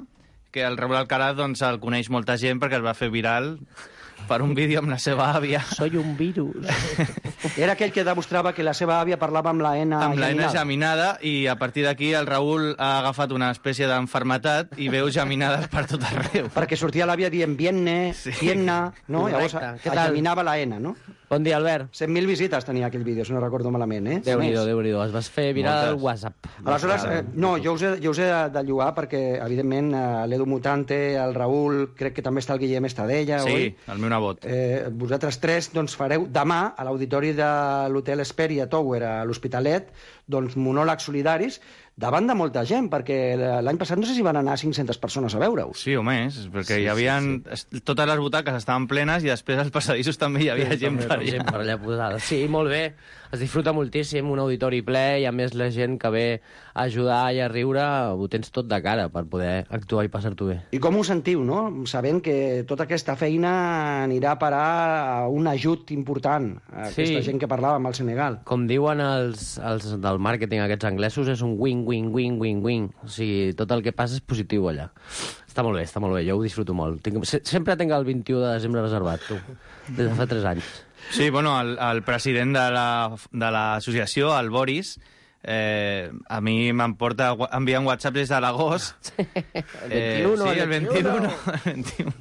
que el Raül Alcaraz doncs, el coneix molta gent perquè es va fer viral per un vídeo amb la seva àvia. Soy un virus. Era aquell que demostrava que la seva àvia parlava amb la N amb la N geminada. geminada, i a partir d'aquí el Raül ha agafat una espècie d'enfermetat i veu geminades per tot arreu. Perquè sortia l'àvia dient vienne, Sí. vienna, no? Correcte. Llavors Què tal? geminava la N, no? Bon dia, Albert. cent mil visites tenia aquell vídeo, si no recordo malament, eh? Déu-n'hi-do, Més. Déu-n'hi-do. Es vas fer viral al WhatsApp. Aleshores, eh, no, jo us, he, jo us he de, de llogar perquè, evidentment, eh, l'Edu Mutante, el Raül, crec que també està el Guillem Estadella, Sí, oi? el meu nebot. Eh, vosaltres tres doncs, fareu demà a l'auditori de l'Hotel Hesperia Tower a l'Hospitalet doncs, monòlegs solidaris davant de molta gent, perquè l'any passat no sé si van anar cinc-centes persones a veure-us. Sí, o més, perquè Sí, hi havia... sí, Totes les butaques estaven plenes i després als passadissos també hi havia Sí, gent també, per gent allà. per allà posada. Sí, molt bé. Es disfruta moltíssim, un auditori ple, i a més la gent que ve a ajudar i a riure ho tens tot de cara per poder actuar i passar-t'ho bé. I com us sentiu, no? Sabent que tota aquesta feina anirà a parar a un ajut important a Sí. aquesta gent que parlàvem al Senegal. Com diuen els, els del màrqueting, aquests anglesos, és un win-win-win-win-win. O sigui, tot el que passa és positiu allà. Està molt bé, està molt bé, jo ho disfruto molt. Tinc, se, sempre tinc el vint-i-u de desembre reservat, tu, des de fa tres anys. Sí, bueno, el, el president de la- de l'associació, el Boris, eh, a mi m'emporta gua- enviant whatsapps des de l'agost. El vint-i-u, sí, el vint-i-u. vint-i-u, el vint-i-u,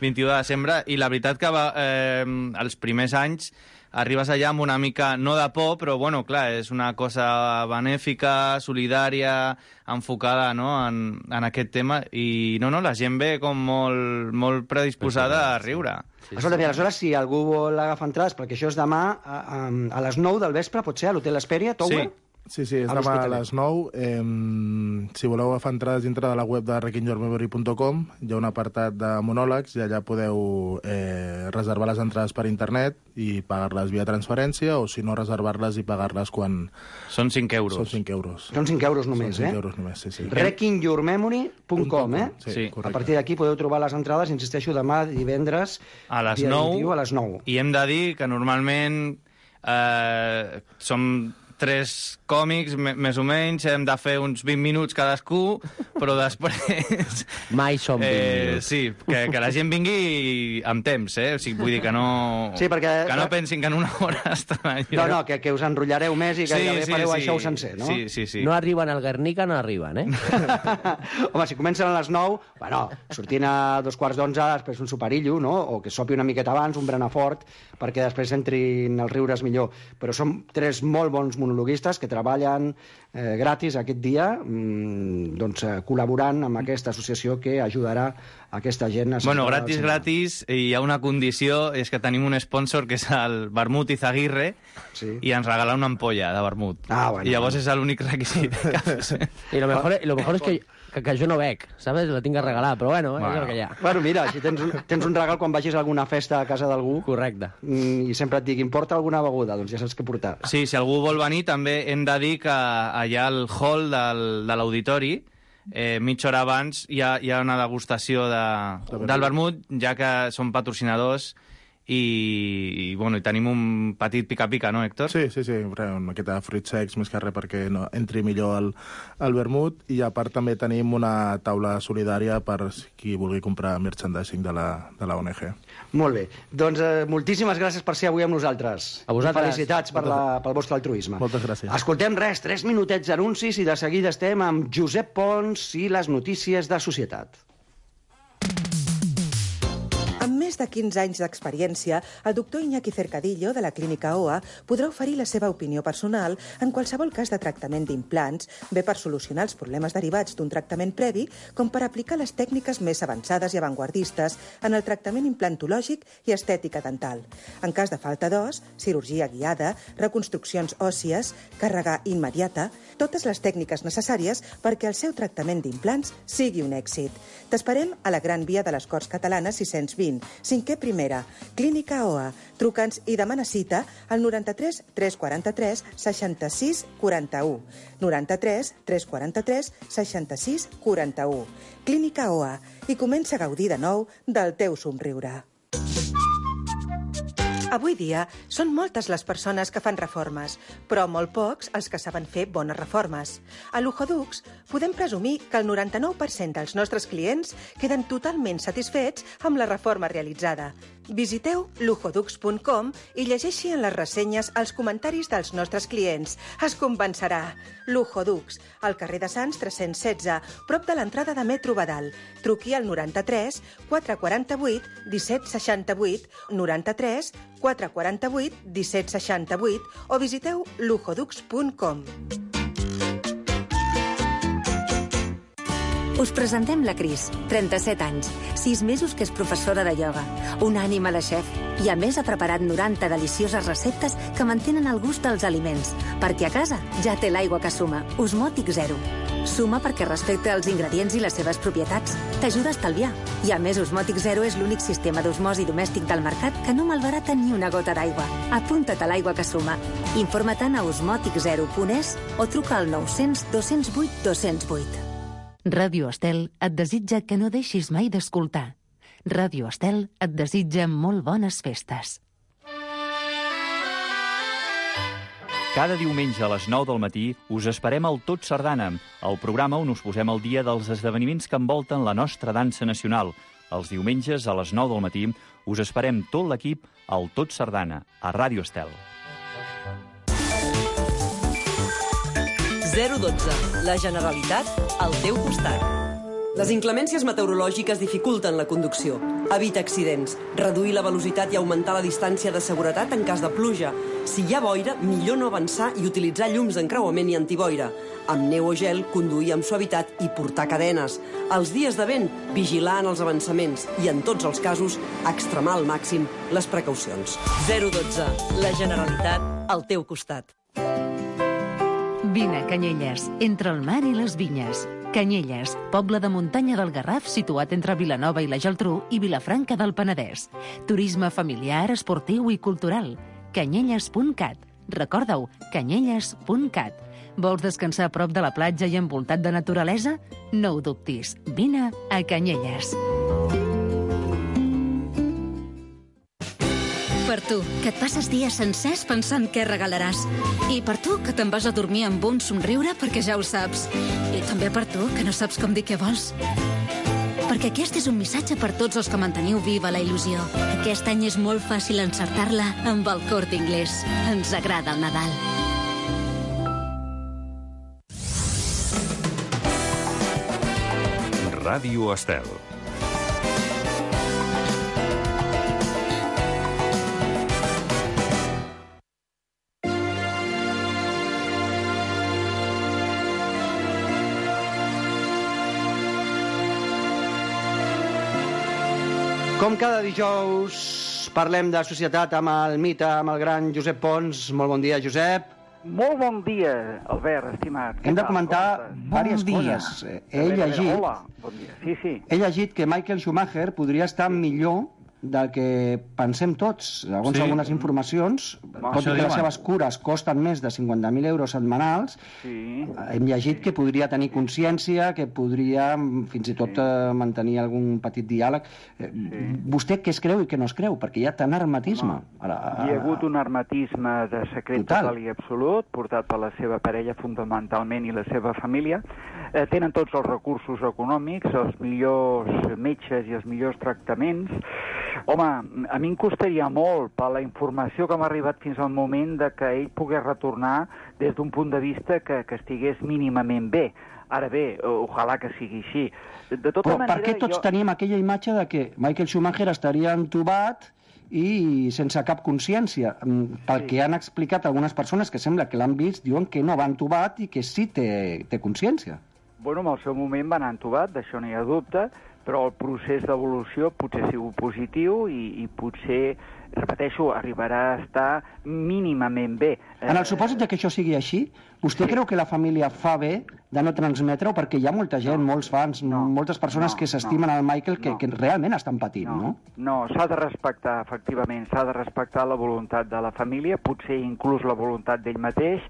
vint-i-u de desembre, i la veritat que va, eh, els primers anys arribes allà amb una mica, no de por, però bueno, clar, és una cosa benèfica, solidària, enfocada, no?, en, en aquest tema, i no, no, la gent ve com molt, molt predisposada a riure. Sí, Escolta, sí. Aleshores, si algú vol agafar entrades, perquè això és demà a, a, a les nou del vespre, pot ser, a l'Hotel Hesperia, Tower? Sí, sí, és A demà a l'Hospitalet. les nou. Eh, si voleu agafar entrades dintre de la web de wrecking your memory punt com, hi ha un apartat de monòlegs i allà podeu eh, reservar les entrades per internet i pagar-les via transferència, o si no, reservar-les i pagar-les quan... Són cinc euros. Són cinc euros. Són cinc euros només, Són cinc eh? euros només, sí, sí. wrecking your memory punt com, eh? Sí, sí, A correcte. partir d'aquí podeu trobar les entrades, insisteixo, demà divendres A les dia nou, vint-i-u, a les nou. I hem de dir que normalment eh, som tres còmics, me- més o menys, hem de fer uns vint minuts cadascú, però després... Mai som vint eh, minuts. Sí, que, que la gent vingui amb temps, eh? O sigui, vull dir que no... Sí, perquè- Que no pensin que en una hora estan allà. No, no, que, que us enrotllareu més i que Sí, gairebé sí, fareu sí. això sencer, no? Sí, sí, sí. No arriben al Guernica, no arriben, eh? Home, si comencen a les nou, bueno, sortint a dos quarts d'onze, després un soparillo, no? O que sopi una miqueta abans, un berenar fort, perquè després entrin els riures millor. Però som tres molt bons monologuistes que treballen eh, gratis aquest dia, mmm, doncs, eh, col·laborant amb aquesta associació que ajudarà aquesta gent a... Bueno, gratis, gratis, i hi ha una condició, és que tenim un sponsor que és el Vermut Izaguirre, sí. i ens regala una ampolla de vermut. Ah, bueno. I llavors és l'únic requisit que fes. I lo mejor, y lo mejor es que, que, que jo no bec, ¿sabes? La tinc que regalar, però bueno, bueno. és el que hi ha. Bueno, mira, si tens un, tens un regal quan vagis a alguna festa a casa d'algú... Correcte. Mm, I sempre et diguin, porta alguna beguda, doncs ja saps què portar. Sí, si algú vol venir, també hem de dir que allà al hall del, de l'auditori, eh, mitja hora abans, hi ha, hi ha una degustació de, del vermut, ja que són patrocinadors, i, i, bueno, i tenim un petit pica-pica, no, Héctor? Sí, sí, sí, res, una miqueta de fruits secs, més que res perquè no, entri millor el, el vermut, i a part també tenim una taula solidària per qui vulgui comprar merchandising de la, de la O N G. Molt bé. Doncs eh, moltíssimes gràcies per ser avui amb nosaltres. A vosaltres. Felicitats per la, pel vostre altruisme. Moltes gràcies. Escoltem res, tres minutets d'anuncis i de seguida estem amb Josep Pons i les notícies de societat. Amb més de quinze anys d'experiència, el doctor Iñaki Cercadillo, de la Clínica O A, podrà oferir la seva opinió personal en qualsevol cas de tractament d'implants, bé per solucionar els problemes derivats d'un tractament previ, com per aplicar les tècniques més avançades i avantguardistes en el tractament implantològic i estètica dental. En cas de falta d'os, cirurgia guiada, reconstruccions òssies, càrrega immediata, totes les tècniques necessàries perquè el seu tractament d'implants sigui un èxit. T'esperem a la Gran Via de les Corts Catalanes sis-cents vint, cinquè primera, Clínica O A. Truca'ns i demana cita al noranta-tres tres quaranta-tres seixanta-sis quaranta-u. noranta-tres tres quaranta-tres seixanta-sis quaranta-u. Clínica O A. I comença a gaudir de nou del teu somriure. Avui dia són moltes les persones que fan reformes, però molt pocs els que saben fer bones reformes. A Luxodux podem presumir que el noranta-nou per cent dels nostres clients queden totalment satisfets amb la reforma realitzada. Visiteu lujodux punt com i llegeixi en les ressenyes els comentaris dels nostres clients. Es convencerà. Lujodux, al carrer de Sants tres-cents setze, prop de l'entrada de Metro Badal. Truqui al noranta-tres quatre quaranta-vuit disset seixanta-vuit, noranta-tres quatre quaranta-vuit disset seixanta-vuit o visiteu lujodux punt com. Us presentem la Cris, trenta-set anys, sis mesos que és professora de ioga, una ànima de xef i a més ha preparat noranta delicioses receptes que mantenen el gust dels aliments, perquè a casa ja té l'aigua que suma, Osmòtic Zero. Suma perquè respecta els ingredients i les seves propietats, t'ajuda a estalviar. I a més, Osmòtic Zero és l'únic sistema d'osmosi domèstic del mercat que no malbarata ni una gota d'aigua. Apunta't a l'aigua que suma. Informa-te'n a osmòtic zero punt es o truca al nou-cents dos-cents vuit dos-cents vuit. Ràdio Estel et desitja que no deixis mai d'escoltar. Ràdio Estel et desitja molt bones festes. Cada diumenge a les nou del matí us esperem al Tot Sardana, el programa on us posem al dia dels esdeveniments que envolten la nostra dansa nacional. Els diumenges a les nou del matí us esperem tot l'equip al Tot Sardana, a Ràdio Estel. zero dotze. La Generalitat al teu costat. Les inclemències meteorològiques dificulten la conducció. Evita accidents, reduir la velocitat i augmentar la distància de seguretat en cas de pluja. Si hi ha boira, millor no avançar i utilitzar llums d'encreuament i antiboira. Amb neu o gel, conduir amb suavitat i portar cadenes. Els dies de vent, vigilar en els avançaments i, en tots els casos, extremar al màxim les precaucions. zero dotze. La Generalitat al teu costat. Vine a Canyelles, entre el mar i les vinyes. Canyelles, poble de muntanya del Garraf situat entre Vilanova i la Geltrú i Vilafranca del Penedès. Turisme familiar, esportiu i cultural. canyelles punt cat. Recorda-ho, canyelles punt cat. Vols descansar a prop de la platja i envoltat de naturalesa? No ho dubtis, vine a Canyelles. Per tu, que et passes dies sencers pensant què regalaràs. I per tu, que te'n vas a dormir amb un somriure perquè ja ho saps. I també per tu, que no saps com dir què vols. Perquè aquest és un missatge per tots els que manteniu viva la il·lusió. Aquest any és molt fàcil encertar-la amb el Corte Inglés. Ens agrada el Nadal. Ràdio Estel. Com cada dijous parlem de societat amb el mite, amb el gran Josep Pons. Molt bon dia, Josep. Molt bon dia, Albert, estimat. Hem de comentar diverses coses. He llegit... Hola, bon dia. Sí, sí. He llegit que Michael Schumacher podria estar millor del que pensem tots. Segons sí. algunes informacions, tot i que les seves cures costen més de cinquanta mil euros setmanals, sí. hem llegit que podria tenir consciència, que podria fins i tot sí. mantenir algun petit diàleg. Sí. Vostè què es creu i què no es creu? Perquè hi ha tant hermetisme. No. Hi ha hagut un hermetisme de secret total, total i absolut, portat per la seva parella fonamentalment i la seva família. Eh, tenen tots els recursos econòmics, els millors metges i els millors tractaments. Home, a mi em costaria molt per la informació que m'ha arribat fins al moment de que ell pogués retornar des d'un punt de vista que, que estigués mínimament bé. Ara bé, ojalà que sigui així. De tota Però manera, per què tots jo... tenim aquella imatge de que Michael Schumacher estaria entubat i sense cap consciència? Pel sí. que han explicat algunes persones que sembla que l'han vist, diuen que no va entubat i que sí té, té consciència. Bueno, en el seu moment va anar entubat, d'això no hi ha dubte, però el procés d'evolució potser ha sigut positiu i, i potser, repeteixo, arribarà a estar mínimament bé. En el supòsit de que això sigui així, vostè sí. creu que la família fa bé de no transmetre-ho? Perquè hi ha molta gent, no. molts fans, no. moltes persones no. que s'estimen no. al Michael que, no. que realment estan patint, no? No, no s'ha de respectar, efectivament, s'ha de respectar la voluntat de la família, potser inclús la voluntat d'ell mateix,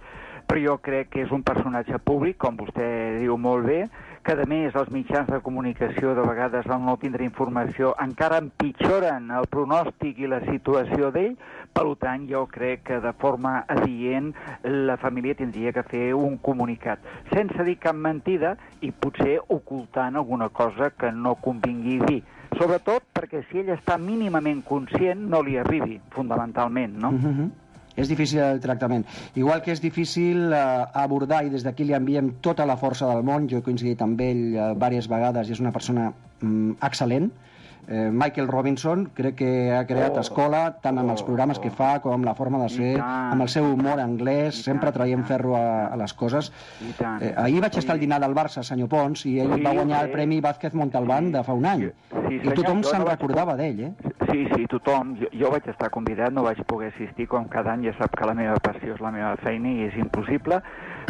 però jo crec que és un personatge públic, com vostè diu molt bé, que a més els mitjans de comunicació de vegades al no tindre informació encara empitjoren el pronòstic i la situació d'ell, per tant jo crec que de forma adient la família tindria que fer un comunicat, sense dir cap mentida i potser ocultant alguna cosa que no convingui dir. Sobretot perquè si ell està mínimament conscient no li arribi, fundamentalment, no? Uh-huh. És difícil el tractament. Igual que és difícil eh, abordar, i des d'aquí li enviem tota la força del món, jo he coincidit amb ell eh, diverses vegades i és una persona mm, excel·lent. Eh, Michael Robinson crec que ha creat oh, escola tant amb els programes oh, que fa com amb la forma de ser, amb el seu humor anglès, sempre traient ferro a, a les coses. Eh, ahir vaig estar al dinar del Barça, senyor Pons, i ell sí, va guanyar sí. el Premi Vázquez Montalbán sí, de fa un any. Sí, I tothom se'n no recordava vaig... d'ell, eh? Sí, sí, tothom. Jo, jo vaig estar convidat, no vaig poder assistir, com cada any ja sap que la meva passió és la meva feina i és impossible,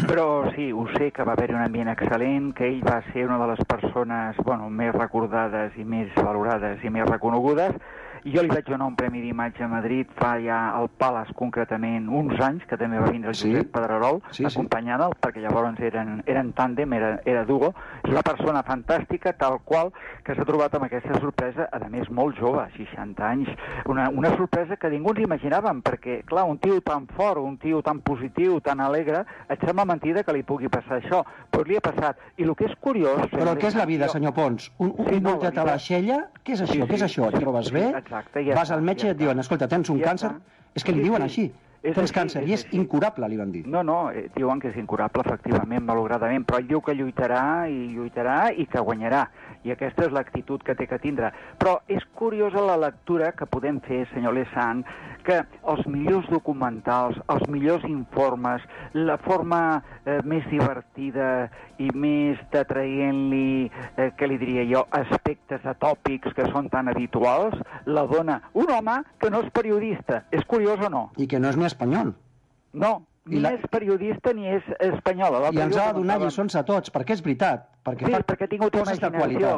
però sí, ho sé que va haver-hi un ambient excel·lent, que ell va ser una de les persones bueno, més recordades i més valorades i més reconegudes. Jo li vaig donar un premi d'imatge a Madrid fa ja al Palace, concretament, uns anys, que també va vindre el Josep sí. Pedrerol, sí, acompanyant-lo, sí. perquè llavors eren, eren tàndem, era, era duo. És una persona fantàstica, tal qual, que s'ha trobat amb aquesta sorpresa, a més, molt jove, seixanta anys. Una, una sorpresa que ningú ens imaginàvem, perquè, clar, un tio tan fort, un tio tan positiu, tan alegre, et sembla mentida que li pugui passar això, però li ha passat. I el que és curiós... Però què és la vida, senyor Pons? Un, un sí, no, boltet a l'aixella? Què és això? Sí, sí, què és això? Et trobes bé? Exacte, ja vas al metge i ja et diuen, escolta, tens un ja càncer? Està. És que li sí, diuen sí. així. És tens així, càncer és i és així. Incurable, li van dir. No, no, eh, diuen que és incurable, efectivament, malauradament, però ell diu que lluitarà i lluitarà i que guanyarà. I aquesta és l'actitud que té que tindre. Però és curiosa la lectura que podem fer, senyor Lesan, que els millors documentals, els millors informes, la forma eh, més divertida i més detraient-li, eh, què li diria jo, aspectes atòpics que són tan habituals, la dona un home que no és periodista. És curiós o no? I que no és ni espanyol. No, ni la... és periodista ni és espanyola. I ens ha de donar lliçons a tots, perquè és veritat. Perquè sí, fa perquè ha tingut imaginació.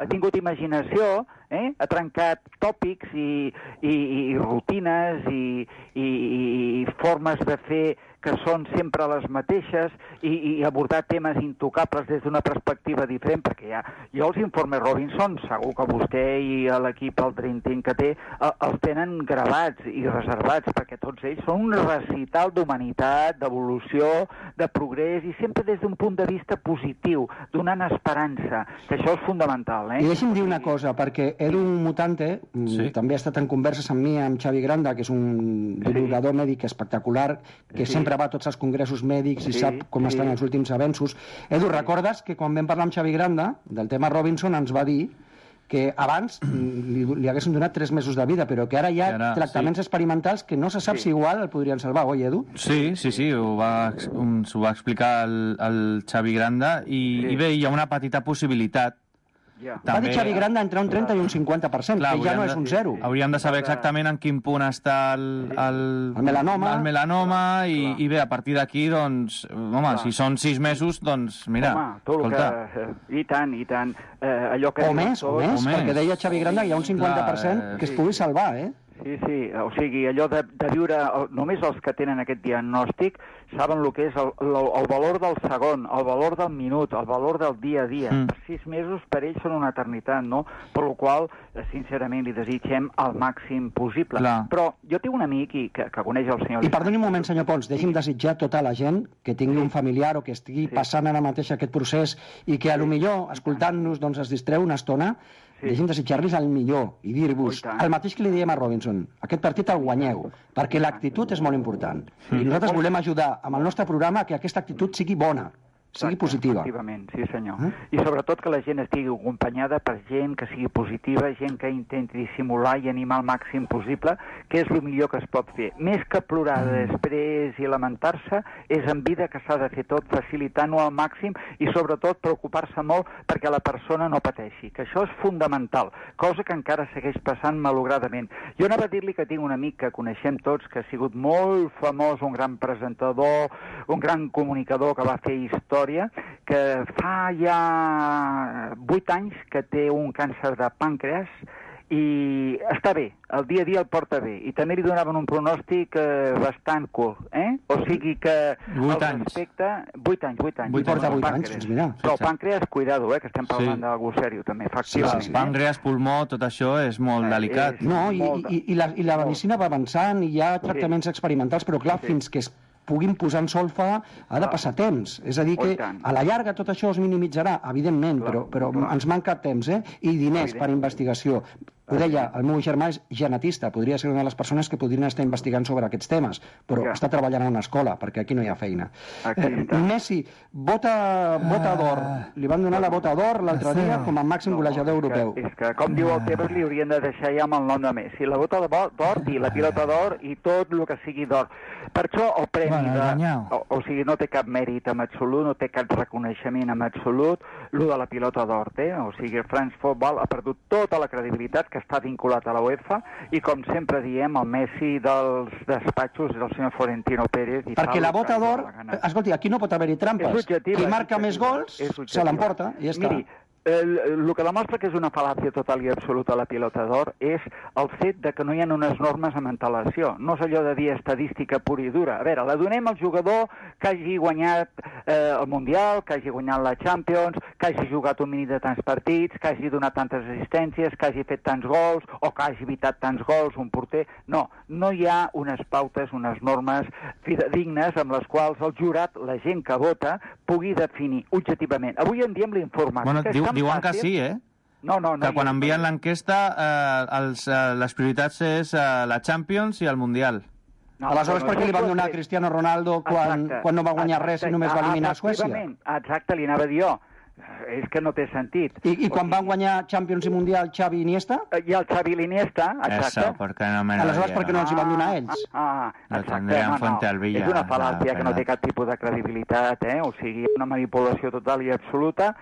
Ha tingut imaginació, eh? Ha trencat tòpics i, i, i rutines i, i, i formes de fer que són sempre les mateixes i, i abordar temes intocables des d'una perspectiva diferent, perquè ja, jo els informes Robinson, segur que vostè i l'equip, el Dream Team que té, els tenen gravats i reservats, perquè tots ells són un recital d'humanitat, d'evolució, de progrés, i sempre des d'un punt de vista positiu, donant esperança, que això és fundamental. Eh? I deixi'm dir una cosa, perquè Edu Mutante sí. també ha estat en converses amb mi, amb Xavi Granda, que és un divulgador sí. mèdic espectacular, que sí. sempre va a tots els congressos mèdics i sí, sap com sí. estan els últims avenços. Edu, sí. recordes que quan vam parlar amb Xavi Granda del tema Robinson ens va dir que abans li, li haguessin donat tres mesos de vida, però que ara hi ha ara, tractaments sí. experimentals que no se sap sí. si igual el podrien salvar, oi, Edu? Sí, sí, sí, ho va, ho va explicar el, el Xavi Granda i, sí. i bé, hi ha una petita possibilitat. Ja. Va dir Xavi Granda entre un trenta i un cinquanta per cent, clar, que ja no és un zero. Hauríem de saber exactament en quin punt està el, el, el melanoma, el melanoma i, i bé, a partir d'aquí, doncs, home, clar. si són sis mesos, doncs, mira, home, tot escolta. Que, I tant, i tant. Eh, allò que o més, o més, o perquè més. Deia Xavi Granda que hi ha un cinquanta per cent clar, que es pugui salvar, eh? Sí, sí, o sigui, allò de, de viure, només els que tenen aquest diagnòstic saben el que és el, el, el valor del segon, el valor del minut, el valor del dia a dia. Mm. Sis mesos per ells són una eternitat, no? Per la qual, sincerament, li desitgem el màxim possible. Clar. Però jo tinc un amic i, que, que coneix el senyor... I perdoni un moment, senyor Pons, deixi'm desitjar a tota la gent que tingui sí. un familiar o que estigui sí. passant ara mateix aquest procés i que, a lo millor, escoltant-nos, doncs, es distreu una estona. Sí. Deixem desitjar-los el millor i dir-vos el mateix que li diem a Robinson, aquest partit el guanyeu, perquè l'actitud és molt important. Sí. I nosaltres volem ajudar amb el nostre programa que aquesta actitud sigui bona, sigui positiva. Efectivament, sí senyor. Eh? I sobretot que la gent estigui acompanyada per gent que sigui positiva, gent que intenti dissimular i animar el màxim possible, que és el millor que es pot fer. Més que plorar després i lamentar-se, és en vida que s'ha de fer tot, facilitant-ho al màxim i sobretot preocupar-se molt perquè la persona no pateixi, que això és fundamental, cosa que encara segueix passant malogradament. Jo anava a dir-li que tinc un amic que coneixem tots, que ha sigut molt famós, un gran presentador, un gran comunicador que va fer història, que fa ja vuit anys que té un càncer de pàncreas i està bé, el dia a dia el porta bé, i també li donaven un pronòstic eh, bastant curt, eh? O sigui que vuit anys. Respecte... Vuit anys, vuit anys. Vuit porta vuit anys, doncs mira. Però el pàncreas, cuidado, eh, que estem parlant sí. d'algú sèrio també, efectivament. Sí, sí, sí. Pàncreas, pulmó, tot això és molt eh, delicat. És no, i, i, i, la, i la medicina va avançant i hi ha tractaments sí. experimentals, però clar, sí. fins que es puguin posar en solfa, ha de passar temps. És a dir, que a la llarga tot això es minimitzarà, evidentment, però, però ens manca temps, eh? I diners per investigació. Ho deia, el meu germà és genetista, podria ser una de les persones que podrien estar investigant sobre aquests temes, però està treballant a una escola, perquè aquí no hi ha feina. Eh, Messi, bota, bota d'or. Li van donar la bota d'or l'altre dia com a màxim golejador europeu. És que, com diu el Tebas, li haurien de deixar ja amb el nom de Messi. La bota d'or i la pilota d'or i tot el que sigui d'or. Per això el premi de... O, o sigui, no té cap mèrit en absolut, no té cap reconeixement en absolut, el de la pilota d'or té. O sigui, el France Football ha perdut tota la credibilitat que està vinculat a la UEFA i, com sempre diem, el Messi dels despatxos és el senyor Florentino Pérez. I perquè la bota d'or, escolti, aquí no pot haver-hi trampes. Qui marca més gols se l'emporta i ja està. Miri, el, el que demostra que és una fal·làcia total i absoluta la pilota d'or és el fet de que no hi ha unes normes amb antelació. No és allò de dir estadística pura i dura. A veure, la donem al jugador que hagi guanyat eh, el Mundial, que hagi guanyat la Champions, que hagi jugat un mínim de tants partits, que hagi donat tantes assistències, que hagi fet tants gols o que hagi evitat tants gols, un porter. No, no hi ha unes pautes, unes normes fidedignes amb les quals el jurat, la gent que vota, pugui definir objectivament. Avui en dia amb l'informàtica... Bueno, diu, diuen que sí, eh? No, no, no. Que quan envien l'enquesta, eh, els, eh, les prioritats és eh, la Champions i el Mundial. No, aleshores, per què li van donar a Cristiano Ronaldo quan, quan no va guanyar res i només va eliminar Suècia? Exacte, li anava a dir jo. És que no té sentit. I, i quan van guanyar Champions i Mundial Xavi i Iniesta? I el Xavi i l'Iniesta, exacte. Eso, perquè no me aleshores, per què no els hi van donar a ells? Ah, ah exacte. No, no. És una fal·làcia que no té cap tipus de credibilitat, eh? O sigui, una manipulació total i absoluta.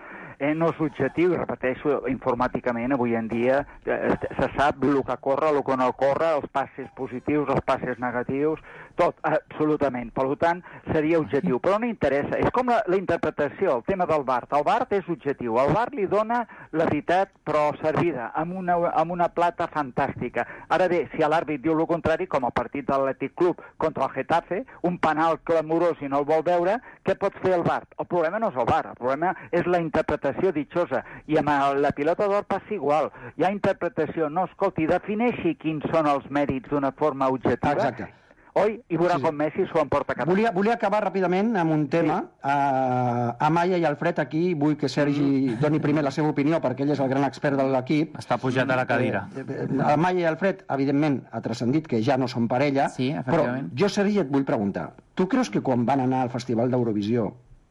Eh, no és objectiu, repeteixo, informàticament avui en dia eh, se sap el que corre, el que no corre, els passes positius, els passes negatius, tot, absolutament. Per tant, seria objectiu. Però no interessa. És com la, la interpretació, el tema del V A R. El V A R és objectiu. El V A R li dona la veritat, però servida, amb una, amb una plata fantàstica. Ara bé, si l'àrbit diu el contrari, com el partit de l'Atlètic Club contra el Getafe, un penal clamorós i no el vol veure, què pot fer el V A R? El problema no és el V A R, el problema és la interpretació ditxosa. I amb la pilota d'or passa igual. Hi ha interpretació. No, escolti, defineixi quins són els mèrits d'una forma objectiva. Exacte. Oi? I veurà sí. com Messi s'ho emporta cap. Volia, volia acabar ràpidament amb un tema. Sí. Uh, Amaya i Alfred aquí, vull que Sergi mm. doni primer la seva opinió, perquè ell és el gran expert de l'equip. Està pujat a la cadira. Uh, Amaya i Alfred, evidentment, ha transcendit que ja no són parella, sí, però jo, Sergi, et vull preguntar. Tu creus que quan van anar al Festival d'Eurovisió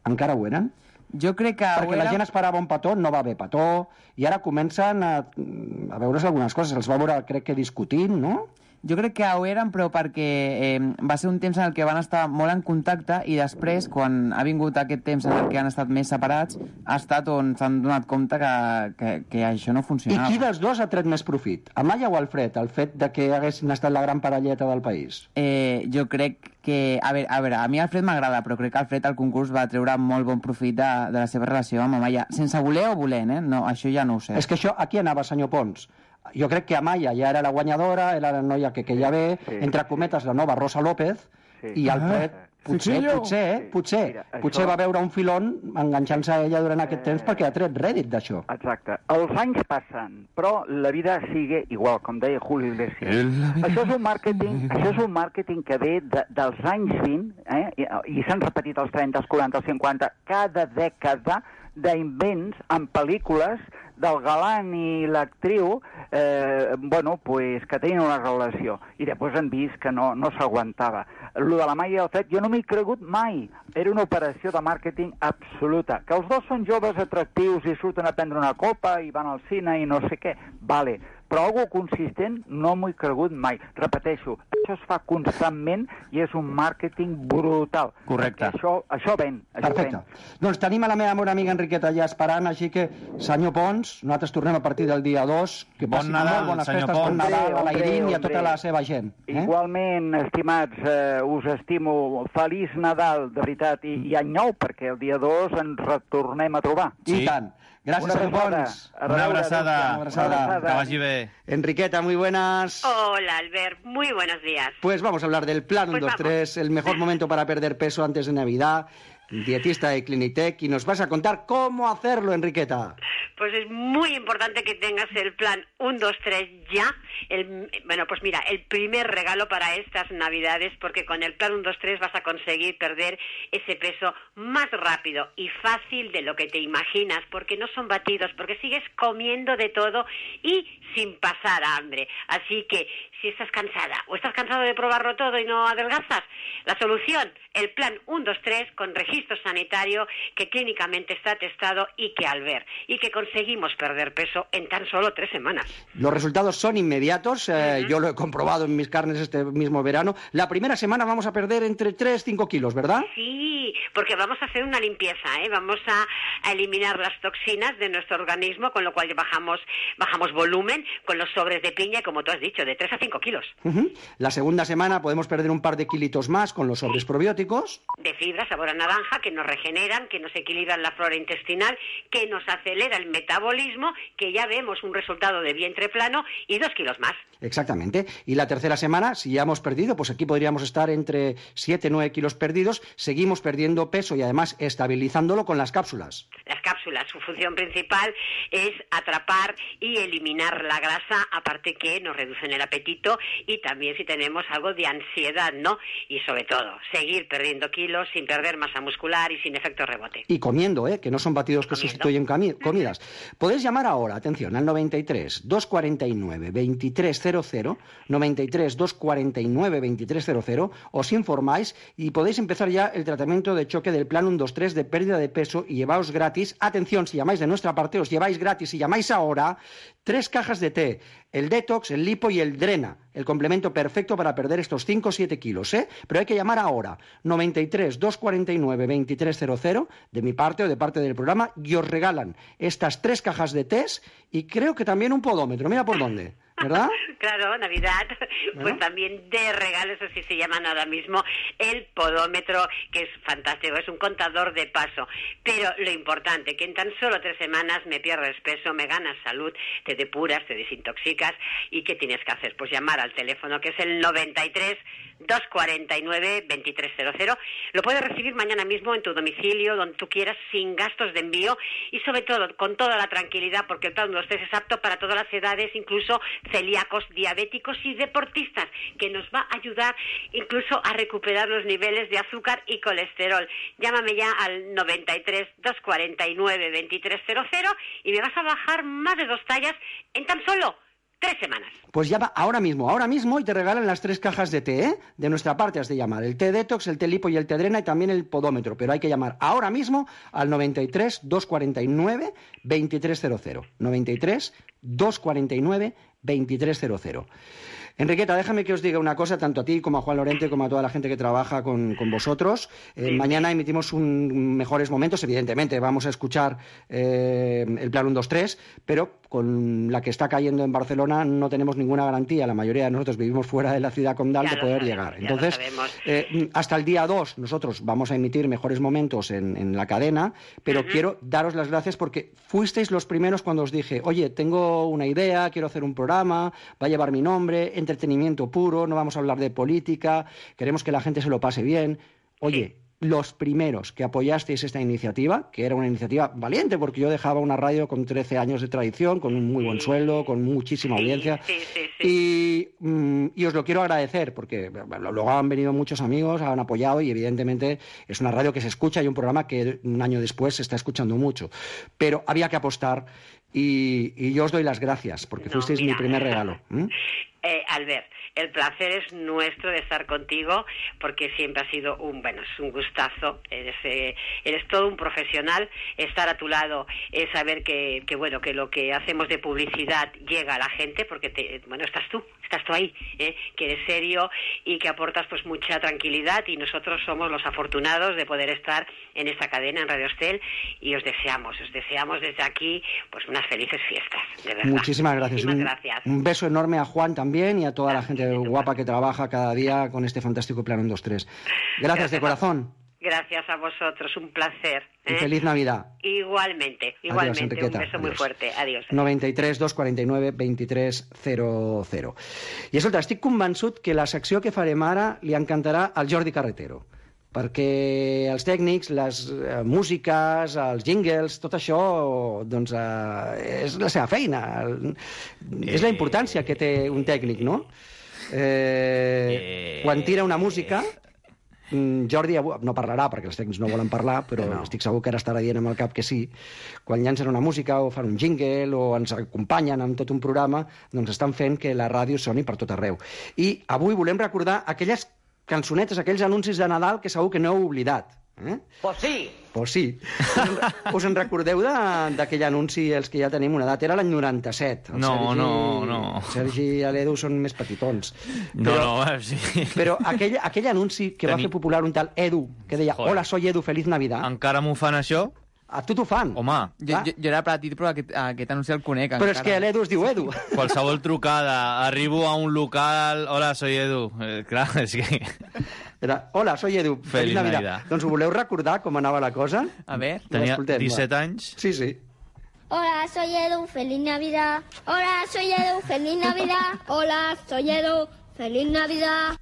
encara ho eren? Jo crec que... Perquè era... la gent esperava un petó, no va haver petó, i ara comencen a, a veure's algunes coses. Els va veure, crec que discutint, no? Jo crec que ho eren, però perquè eh, va ser un temps en el que van estar molt en contacte i després, quan ha vingut aquest temps en el que han estat més separats, ha estat on s'han donat compte que, que, que això no funcionava. I qui dels dos ha tret més profit? Amaya o Alfred, el fet de que haguessin estat la gran parelleta del país? Eh, jo crec que... A veure, a, veure, a mi Alfred m'agrada, però crec que Alfred al concurs va treure molt bon profit de, de la seva relació amb Amaya. Sense voler o volent, eh? No, això ja no ho sé. És que això, aquí anava, senyor Pons. Jo crec que Amaya ja era la guanyadora, era la noia que queia bé, sí, entre cometes la nova Rosa López, sí. I Alfred, ah, potser, sí, potser, eh, potser, Mira, potser això... va veure un filón enganxant-se a ella durant aquest temps perquè ha tret rèdit d'això. Exacte. Els anys passen, però la vida sigue igual, com deia Julio Iglesias. Això és un màrqueting, això és un màrqueting que ve de, dels anys vint, eh, i, i s'han repetit els trenta, els quaranta, els cinquanta, cada dècada d'invents en pel·lícules del galant i l'actriu, eh, bueno, pues, que tenien una relació. I després han vist que no, no s'aguantava. Lo de la Maia i el Fred, jo no m'hi he cregut mai. Era una operació de màrqueting absoluta. Que els dos són joves atractius i surten a prendre una copa i van al cine i no sé què. Vale. Però algo consistent no m'ho he cregut mai. Repeteixo, això es fa constantment i és un màrqueting brutal. Correcte. Això, això ven. Això Perfecte. Ven. Doncs tenim a la meva bona amiga Enriqueta ja esperant, així que, senyor Pons, nosaltres tornem a partir del dia dos. Que bon Nadal, bones senyor festes, Pons. bon Nadal a l'Airín i a tota la seva gent. Eh? Igualment, estimats, eh, us estimo. Feliç Nadal, de veritat, i, i any nou, perquè el dia dos ens retornem a trobar. Sí. I tant. Gracias, senyor Pons. Una abraçada. Una abraçada. Que vagi bé. Enriqueta, muy buenas. Hola, Albert. Muy buenos días. Pues vamos a hablar del plan uno, dos, tres, el mejor momento para perder peso antes de Navidad, dietista de Clinitec, y nos vas a contar cómo hacerlo, Enriqueta. pues es muy importante que tengas el plan uno, dos, tres ya. El, bueno, pues mira, el primer regalo para estas Navidades, porque con el plan uno, dos, tres vas a conseguir perder ese peso más rápido y fácil de lo que te imaginas, porque no son batidos, porque sigues comiendo de todo y sin pasar hambre. Así que si estás cansada o estás cansado de probarlo todo y no adelgazas, la solución, el plan uno, dos, tres con registro sanitario que clínicamente está testado y que al ver y que conseguimos perder peso en tan solo tres semanas. Los resultados son inmediatos, eh, Uh-huh. yo lo he comprobado en mis carnes este mismo verano. La primera semana vamos a perder entre tres y cinco kilos, ¿verdad? Sí, porque vamos a hacer una limpieza, ¿eh? Vamos a, a eliminar las toxinas de nuestro organismo, con lo cual bajamos, bajamos volumen con los sobres de piña, como tú has dicho, de tres a cinco kilos. Uh-huh. La segunda semana podemos perder un par de kilitos más con los sobres probióticos. De fibra, sabor a naranja, que nos regeneran, que nos equilibran la flora intestinal, que nos acelera el metabolismo, que ya vemos un resultado de vientre plano y dos kilos más. Exactamente. Y la tercera semana, si ya hemos perdido, pues aquí podríamos estar entre siete y nueve kilos perdidos, seguimos perdiendo peso y además estabilizándolo con las cápsulas. Las cápsulas, su función principal es atrapar y eliminar la grasa, aparte que nos reducen el apetito y también si tenemos algo de ansiedad, ¿no? Y sobre todo, seguir perdiendo kilos sin perder masa muscular y sin efecto rebote. Y comiendo, ¿eh? Que no son batidos que sustituyen comi- comidas. Podéis llamar ahora, atención, al noventa y tres, doscientos cuarenta y nueve, veintitrés cero cero, noventa y tres, doscientos cuarenta y nueve, veintitrés cero cero, os informáis y podéis empezar ya el tratamiento de choque del plan uno, dos, tres de pérdida de peso y llevaos gratis, atención, si llamáis de nuestra parte, os lleváis gratis, si llamáis ahora, tres cajas de té, el detox, el lipo y el drena, el complemento perfecto para perder estos cinco o siete kilos, ¿eh? Pero hay que llamar ahora, noventa y tres, doscientos cuarenta y nueve, veintitrés cero cero, de mi parte o de parte del programa, y os regalan estas tres cajas de test y creo que también un podómetro, mira por dónde, ¿verdad? Claro, Navidad, ¿No? pues también de regalos, así se llaman ahora mismo, el podómetro, que es fantástico, es un contador de paso. Pero lo importante, que en tan solo tres semanas me pierdes peso, me ganas salud, te depuras, te desintoxicas, ¿y qué tienes que hacer? Pues llamar al teléfono, que es el noventa y tres, doscientos cuarenta y nueve, veintitrés cero cero. Lo puedes recibir mañana mismo en tu domicilio, donde tú quieras, sin gastos de envío y sobre todo con toda la tranquilidad, porque el plan uno, dos, tres es apto para todas las edades, incluso celíacos, diabéticos y deportistas, que nos va a ayudar incluso a recuperar los niveles de azúcar y colesterol. Llámame ya al noventa y tres, doscientos cuarenta y nueve, veintitrés cero cero y me vas a bajar más de dos tallas en tan solo tres semanas. Pues llama ahora mismo, ahora mismo y te regalan las tres cajas de té, ¿eh? De nuestra parte has de llamar, el té detox, el té lipo y el té drena y también el podómetro, pero hay que llamar ahora mismo al noventa y tres, doscientos cuarenta y nueve, veintitrés cero cero, noventa y tres, doscientos cuarenta y nueve, veintitrés cero cero. Enriqueta, déjame que os diga una cosa, tanto a ti como a Juan Lorente, como a toda la gente que trabaja con, con vosotros. Eh, sí. Mañana emitimos un mejores momentos, evidentemente, vamos a escuchar eh, el plan uno, dos, tres, pero con la que está cayendo en Barcelona no tenemos ninguna garantía, la mayoría de nosotros vivimos fuera de la ciudad condal, ya de poder sabemos, llegar. Entonces, eh, hasta el día dos nosotros vamos a emitir mejores momentos en, en la cadena, pero uh-huh. quiero daros las gracias porque fuisteis los primeros cuando os dije, oye, tengo una idea, quiero hacer un programa, va a llevar mi nombre, entretenimiento puro, no vamos a hablar de política, queremos que la gente se lo pase bien. Oye, sí. los primeros que apoyasteis esta iniciativa, que era una iniciativa valiente, porque yo dejaba una radio con trece años de tradición, con un muy buen sí. sueldo, con muchísima sí, audiencia, sí, sí, sí. Y, mm, y os lo quiero agradecer, porque bueno, luego han venido muchos amigos, han apoyado, y evidentemente es una radio que se escucha y un programa que un año después se está escuchando mucho. Pero había que apostar, y, y yo os doy las gracias, porque no, fuisteis mira. mi primer regalo. ¿Mm? Eh, Albert, el placer es nuestro de estar contigo, porque siempre ha sido un, bueno, es un gustazo, eres, eh, eres todo un profesional, estar a tu lado es saber que, que, bueno, que lo que hacemos de publicidad llega a la gente, porque, te, bueno, estás tú, estás tú ahí, ¿eh? que eres serio y que aportas pues mucha tranquilidad, y nosotros somos los afortunados de poder estar en esta cadena, en Radio Estel, y os deseamos, os deseamos desde aquí pues unas felices fiestas, de verdad. Muchísimas gracias. Muchísimas un, gracias. Un beso enorme a Juan también, y a toda la gente guapa que trabaja cada día con este fantástico plan uno, dos, tres. Gracias, Gracias de corazón. Gracias a vosotros, un placer. ¿eh? Y feliz Navidad. Igualmente, igualmente. Adiós, un beso Adiós. muy fuerte. Adiós. noventa i tres, dos cuarenta i nueve, veintitrés cero cero. I escolta, estic convençut que la secció que farem ara li encantarà al Jordi Carretero, perquè els tècnics, les eh, músiques, els jingles, tot això doncs, eh, és la seva feina. És la importància que té un tècnic, no? Eh, quan tira una música, Jordi no parlarà perquè els tècnics no volen parlar, però no. Estic segur que ara estarà dient amb el cap que sí. Quan llancen una música o fan un jingle o ens acompanyen amb tot un programa, doncs estan fent que la ràdio soni per tot arreu. I avui volem recordar aquelles cançonetes, aquells anuncis de Nadal que segur que no heu oblidat. Eh? Pues sí! Pues sí. Us en recordeu d'aquell anunci, els que ja tenim una edat? Era l'any noranta-set. El no, Sergi, no, no. Sergi i l'Edu són més petitons. No, però, no, sí. Però aquell, aquell anunci que Teni... va fer popular un tal Edu, que deia, Joder. Hola, soy Edu, feliz Navidad. Encara m'ho fan, això? A tu t'ho fan. Home. Jo, jo, jo era petit, però aquest, aquest anunci el conec. Però encara. És que l'Edu es diu Edu. Qualsevol trucada. Arribo a un local... Hola, soy Edu. Eh, clar, és que... Era, hola, soy Edu. Feliz, Feliz Navidad. Navidad. Doncs ho voleu recordar com anava la cosa? A ver. Tenia disset anys. Sí, sí. Hola, soy Edu, feliz Navidad. Hola, soy Edu, feliz Navidad. Hola, soy Edu, feliz Navidad.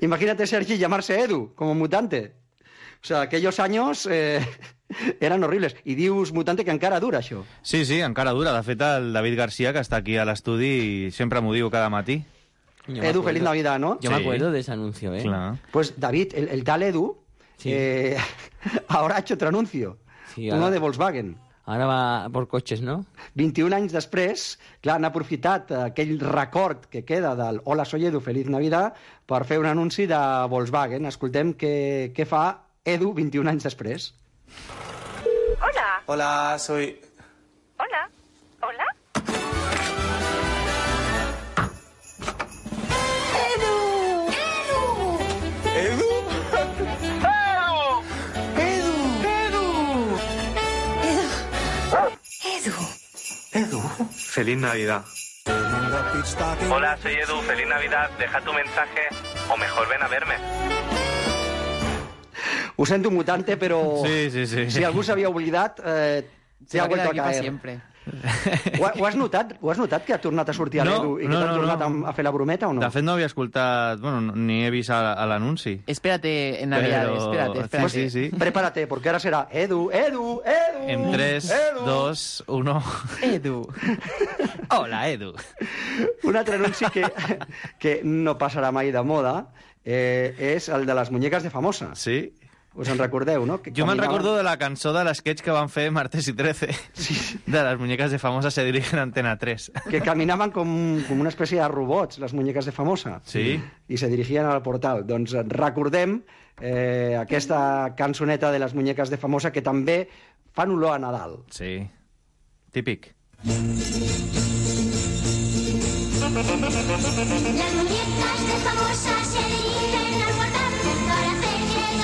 Imagínate, Sergi, llamarse Edu, como mutante. O sea, aquellos años eh, eran horribles. I dius, mutante, que encara dura, això. Sí, sí, encara dura. De fet, el David García, que està aquí a l'estudi, sempre m'ho diu cada matí. Edu, feliz Navidad, ¿no? Yo sí. me acuerdo de ese anuncio, ¿eh? Claro. Pues David, el, el tal Edu, sí. eh, ahora ha hecho otro anuncio. Sí, ahora... Uno de Volkswagen. Ara va por cotxes, no? vint-i-un anys després, clar, han aprofitat aquell record que queda del Hola, soy Edu, feliz Navidad, per fer un anunci de Volkswagen. Escoltem què, què fa Edu vint-i-un anys després. Hola. Hola, soy... Hola. Hola. Edu. Edu. Edu. Feliz Navidad. Hola, soy Edu. Feliz Navidad. Deja tu mensaje o mejor ven a verme. Ho sento, mutante, però sí, sí, sí. si algú s'havia oblidat, eh, se ha vuelto a caer. Siempre. Ho, ho, has notat, ho has notat que ha tornat a sortir a no, l'Edu i que no, t'ha no, tornat no. a fer la brometa o no? De fet, no havia escoltat, bueno, ni he vist a, a l'anunci. Espérate, en Navidad, Pero... espérate, espérate. Sí, sí, sí. Prepárate, porque ahora será Edu, Edu, Edu. En tres, dos, uno... Edu. Hola, Edu. Un altre anunci que, que no passarà mai de moda eh, és el de les muñeques de Famosa. Sí. Us en recordeu, no? Que jo me'n caminaven... recordo de la cançó de l'esquetx que van fer Martes i trece, sí. De les muñeques de Famosa se dirigen a Antena tres. Que caminaven com, com una espècie de robots, les muñeques de Famosa. Sí. I se dirigien al portal. Doncs recordem eh, aquesta cançoneta de les muñeques de Famosa que també fan olor a Nadal. Sí. Típic. Las muñecas de Famosa se dirigen al portal para hacer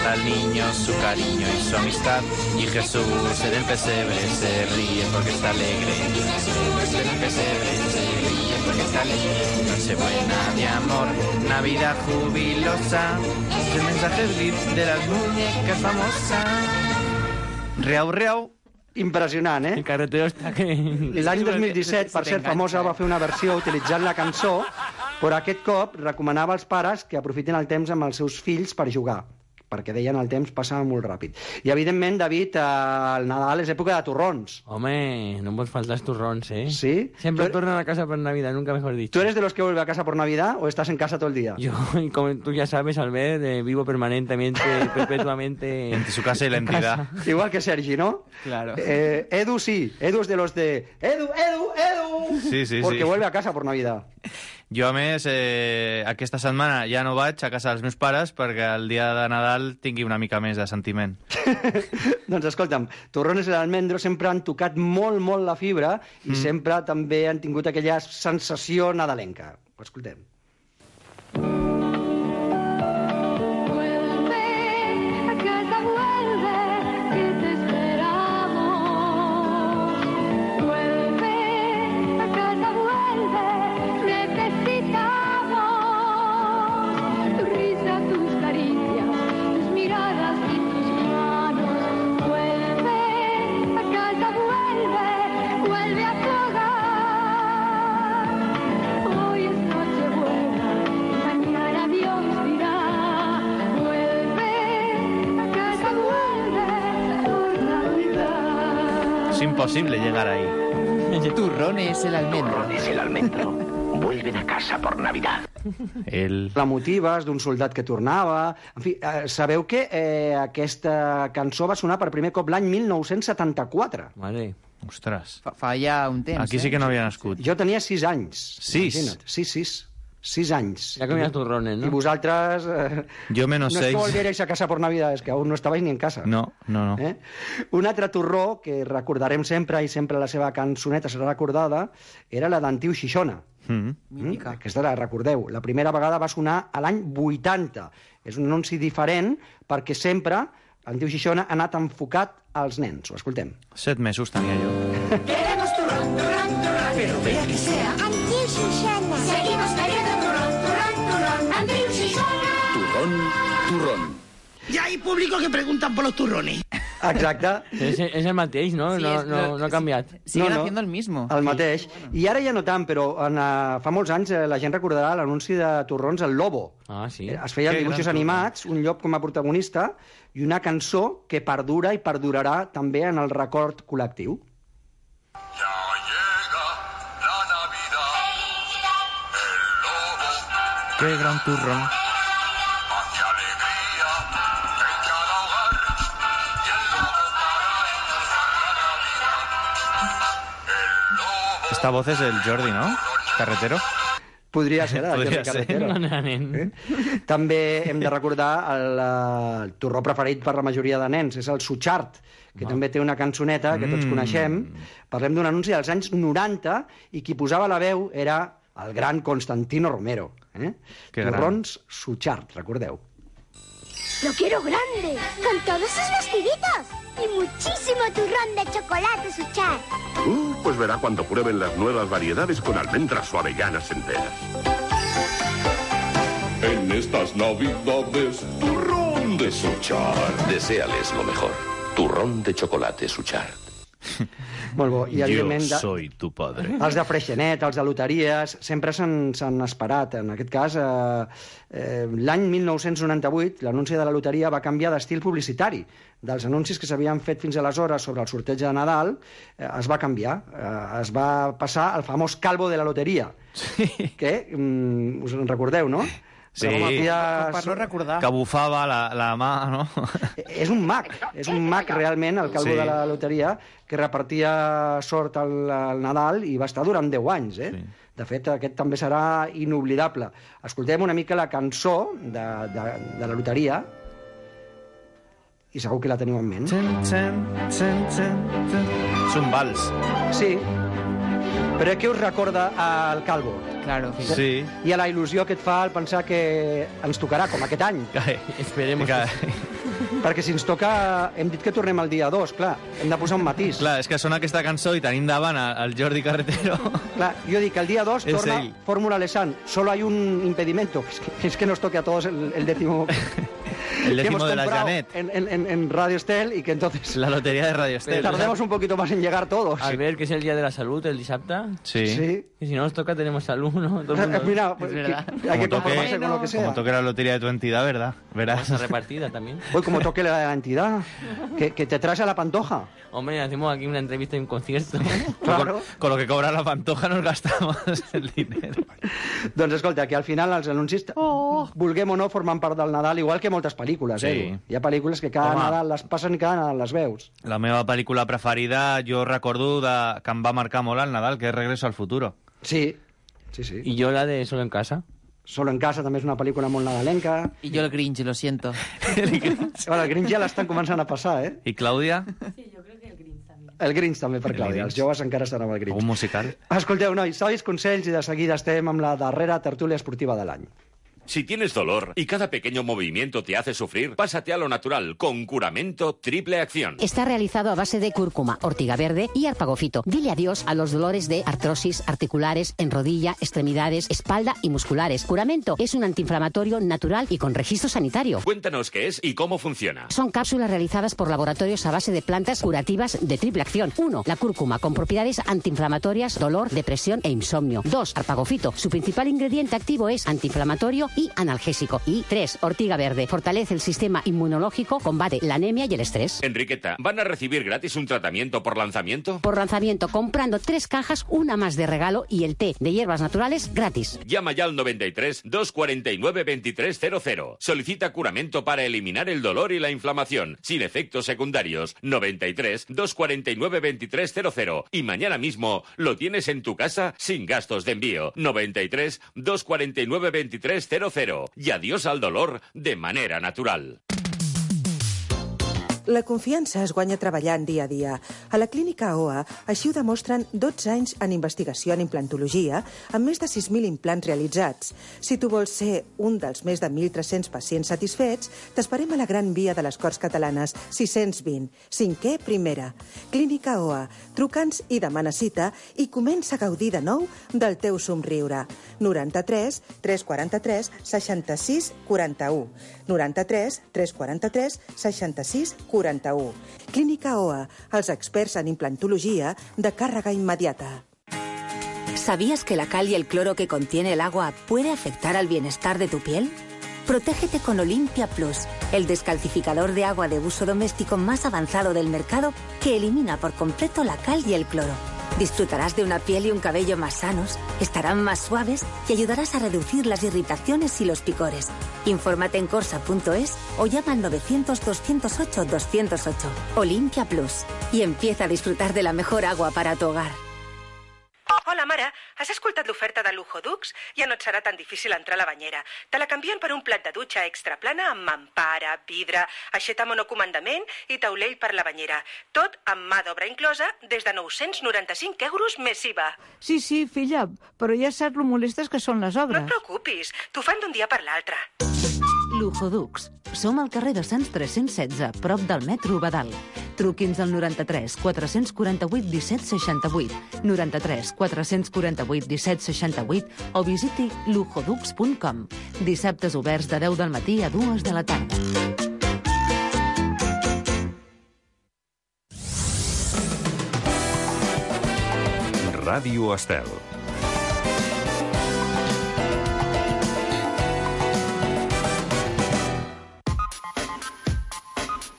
al niño su cariño y su amistad, y Jesús en el pesebre se ríe porque está alegre. Y Jesús en el pesebre se ríe porque está alegre. Nochebuena de amor, Navidad jubilosa, es el mensaje de las muñecas famosas. Reau, reau. Impressionant, eh? El carretero està que... L'any dos mil disset, per ser famosa, va fer una versió utilitzant la cançó, però aquest cop recomanava als pares que aprofitin el temps amb els seus fills per jugar, perquè deien el temps passava molt ràpid. I, evidentment, David, el Nadal és època de torrons. Home, no em pots faltar els torrons, eh? Sí? Siempre tornan a casa por Navidad, nunca mejor dicho. ¿Tú eres de los que vuelve a casa por Navidad o estás en casa todo el día? Yo, como tú ya sabes, Albert, eh, vivo permanentemente, perpetuamente... Entre su casa y la entidad. Igual que Sergi, ¿no? Claro. Eh, Edu sí, Edu es de los de... Edu, Edu, Edu! Sí, sí, Porque sí. vuelve a casa por Navidad. Jo, a més, eh, aquesta setmana ja no vaig a casa dels meus pares perquè el dia de Nadal tingui una mica més de sentiment. Doncs escolta'm, Torrones i l'Almendro sempre han tocat molt, molt la fibra i mm. sempre també han tingut aquella sensació nadalenca. Ho escoltem. Hoy es Nochebuena. Es imposible llegar ahí. Turrón es el almendro. Turrón es el almendro. Vuelven a casa por Navidad. El... La motives d'un soldat que tornava... En fi, eh, sabeu que eh, aquesta cançó va sonar per primer cop l'any mil nou-cents setanta-quatre. Vale. Ostres. Fa, fa ja un temps, Aquí sí que no havia nascut. Jo tenia sis anys. Sis? Imagina't. Sis, sis. Sis anys. Ya comías turrones, ¿no? I vosaltres... Eh, Jo menos no seis. es que volvierais a casa por Navidad, es que aún no estabais ni en casa. No, no, no. Eh? Un altre torró que recordarem sempre, i sempre la seva cançoneta serà recordada, era la d'Antiu Xixona. Mm. Mm? Aquesta la recordeu. La primera vegada va sonar a l'any vuitanta. És un anunci diferent perquè sempre Antiu Xixona ha anat enfocat als nens. Ho escoltem. Set mesos tenia jo. Queremos turrón, turrón, turrón, pero vea que sea Antiu Xixona. Seguimos queriendo turrón, turrón, turrón, Antiu Xixona. Turrón, turrón. Ya hay público que preguntan por los turrones. Exacte. Es, es el mateix, ¿no? Sí, no, es- no, no ha cambiat. Siguen No, no. haciendo el mismo. El mateix. I ara ja no tant, però en, uh, fa molts anys eh, la gent recordarà l'anunci de torrons El Lobo. Ah, sí. Eh, Es feien Que dibuixos gran animats, un llop com a protagonista i una cançó que perdura i perdurarà també en el record col·lectiu. Qué gran turrón. Esta voz es el Jordi, ¿no? Carretero. Podria ser, eh, Podria Jordi ser. Carretero. No, no, nen. Eh? També hem de recordar el, eh, el torró preferit per la majoria de nens, és el Suchard, que també té una cançoneta que tots Mm. coneixem. Parlem d'un anunci dels anys noranta i qui posava la veu era el gran Constantino Romero. Eh? Que gran. Torrons Suchard, recordeu. Lo quiero grande, con todos sus vestiditos. Y muchísimo turrón de chocolate Suchard. Uh, pues verá cuando prueben las nuevas variedades con almendras o avellanas enteras. En estas navidades, turrón de Suchard. Deseales lo mejor. Turrón de chocolate Suchard. Molt bo. I, Yo evidentment, de- soy tu padre. els de Freixenet, els de loteries, sempre s'han s'han esperat. En aquest cas, eh, eh, l'any mil nou-cents noranta-vuit, l'anunci de la loteria va canviar d'estil publicitari. Dels anuncis que s'havien fet fins aleshores sobre el sorteig de Nadal, eh, es va canviar. Eh, es va passar al famós calvo de la loteria. Sí. Que, mm, us en recordeu, no? Sí. Com havia- Per no recordar. Que bufava la, la mà, no? És un mag, és un mag realment, el calvo Sí. de la loteria, que repartia sort al, al Nadal i va estar durant deu anys, eh? Sí. De fet, aquest també serà inoblidable. Escoltem una mica la cançó de, de, de la loteria i segur que la teniu en ment. Ten, ten, ten, ten, ten. És un vals. Sí, però què us recorda al calvo? Claro, Sí. I a la il·lusió que et fa al pensar que ens tocarà, com aquest any. Esperemos. Que... Perquè si ens toca... Hem dit que tornem el dia dos, clar, hem de posar un matís. Clar, és que sona aquesta cançó i tenim davant el Jordi Carretero. Clar, yo digo que el día dos Es torna él. Fórmula Lesan. Solo hay un impedimento, es que, es que nos toque a todos el, el décimo... El que décimo hemos de la comprado Janet. En, en, en- en Radio Estel y que entonces La lotería de Radio Estel. tardemos un poquito más en llegar todos. Al ver que es el día de la salud, el disapta. Sí. Sí. Y si no nos toca, tenemos salud, ¿no? Todo el mundo. Mira, pues, Es verdad. que- hay que Como toque- conformarse con lo que sea. Como toque la lotería de tu entidad, ¿verdad? Verás. Esa repartida también. Hoy como toque la entidad, que, que te traes a la pantoja. Hombre, hacemos aquí una entrevista y un concierto. Claro. Con lo que cobra la pantoja nos gastamos el dinero. Doncs escolta, que al final els anuncis, oh. vulguem o no, formen part del Nadal, igual que moltes pel·lícules, Sí. eh? Hi ha pel·lícules que cada Home. Nadal les passen i cada Nadal les veus. La meva pel·lícula preferida, jo recordo de, que em va marcar molt al Nadal, que és Regreso al futuro. Sí, sí, sí. Y yo la de Solo en casa. Solo en casa també és una pel·lícula molt nadalenca. Y yo el Grinch, lo siento. Bueno, el Grinch ja l'estan començant a passar, eh? I Clàudia? El Grinch també per El Clàudia. Els Grinch. joves encara estan amb el Grinch. Un musical? Escolteu, nois, sabis consells i de seguida estem amb la darrera tertúlia esportiva de l'any. Si tienes dolor y cada pequeño movimiento te hace sufrir, pásate a lo natural con Curamento Triple Acción. Está realizado a base de cúrcuma, ortiga verde y arpagofito. Dile adiós a los dolores de artrosis articulares en rodilla, extremidades, espalda y musculares. Curamento es un antiinflamatorio natural y con registro sanitario. Cuéntanos qué es y cómo funciona. Son cápsulas realizadas por laboratorios a base de plantas curativas de triple acción. uno. La cúrcuma, con propiedades antiinflamatorias, dolor, depresión e insomnio. dos. Arpagofito. Su principal ingrediente activo es antiinflamatorio y analgésico. Y tres, ortiga verde. Fortalece el sistema inmunológico, combate la anemia y el estrés. Enriqueta, ¿van a recibir gratis un tratamiento por lanzamiento? Por lanzamiento, comprando tres cajas, una más de regalo y el té de hierbas naturales gratis. Llama ya al noventa y tres, doscientos cuarenta y nueve, veintitrés cero cero. Solicita curamento para eliminar el dolor y la inflamación, sin efectos secundarios. noventa y tres, doscientos cuarenta y nueve, veintitrés cero cero. Y mañana mismo lo tienes en tu casa sin gastos de envío. noventa y tres, doscientos cuarenta y nueve, veintitrés cero cero. Y adiós al dolor de manera natural. La confiança es guanya treballant dia a dia. A la clínica O A així ho demostren dotze anys en investigació en implantologia amb més de sis mil implants realitzats. Si tu vols ser un dels més de mil tres-cents pacients satisfets, t'esperem a la Gran Via de les Corts Catalanes sis-cents vint, cinquè primera. Clínica O A. Truca'ns i demana cita i comença a gaudir de nou del teu somriure. noranta-tres, tres quaranta-tres, seixanta-sis, quaranta-u. noranta-tres, tres quaranta-tres, seixanta-sis, quaranta-u. Clínica O A, els experts en implantologia de càrrega immediata. ¿Sabías que la cal y el cloro que contiene el agua puede afectar al bienestar de tu piel? Protégete con Olimpia Plus, el descalcificador de agua de uso doméstico más avanzado del mercado que elimina por completo la cal y el cloro. Disfrutarás de una piel y un cabello más sanos, estarán más suaves y ayudarás a reducir las irritaciones y los picores. Infórmate en corsa punto es o llama al novecientos, doscientos ocho, doscientos ocho. Olimpia Plus. Y empieza a disfrutar de la mejor agua para tu hogar. Hola, mare. Has escoltat l'oferta de Lujo Dux? Ja no et serà tan difícil entrar a la banyera. Te la canvien per un plat de dutxa extra plana amb mampara, vidre, aixeta monocomandament i taulell per la banyera. Tot amb mà d'obra inclosa des de nou-cents noranta-cinc euros més I V A. Sí, sí, filla, però ja saps lo molestes que són les obres. No et preocupis, t'ho fan d'un dia per l'altre. Lujo Dux. Som al carrer de Sants tres-cents setze, prop del metro Badal. Truqui'ns al noranta-tres, quatre-cents quaranta-vuit, disset seixanta-vuit, noranta-tres, quatre-cents quaranta-vuit, disset seixanta-vuit o visiti lujodux punt com. Dissabtes oberts de deu del matí a dues de la tarda. Ràdio Estel.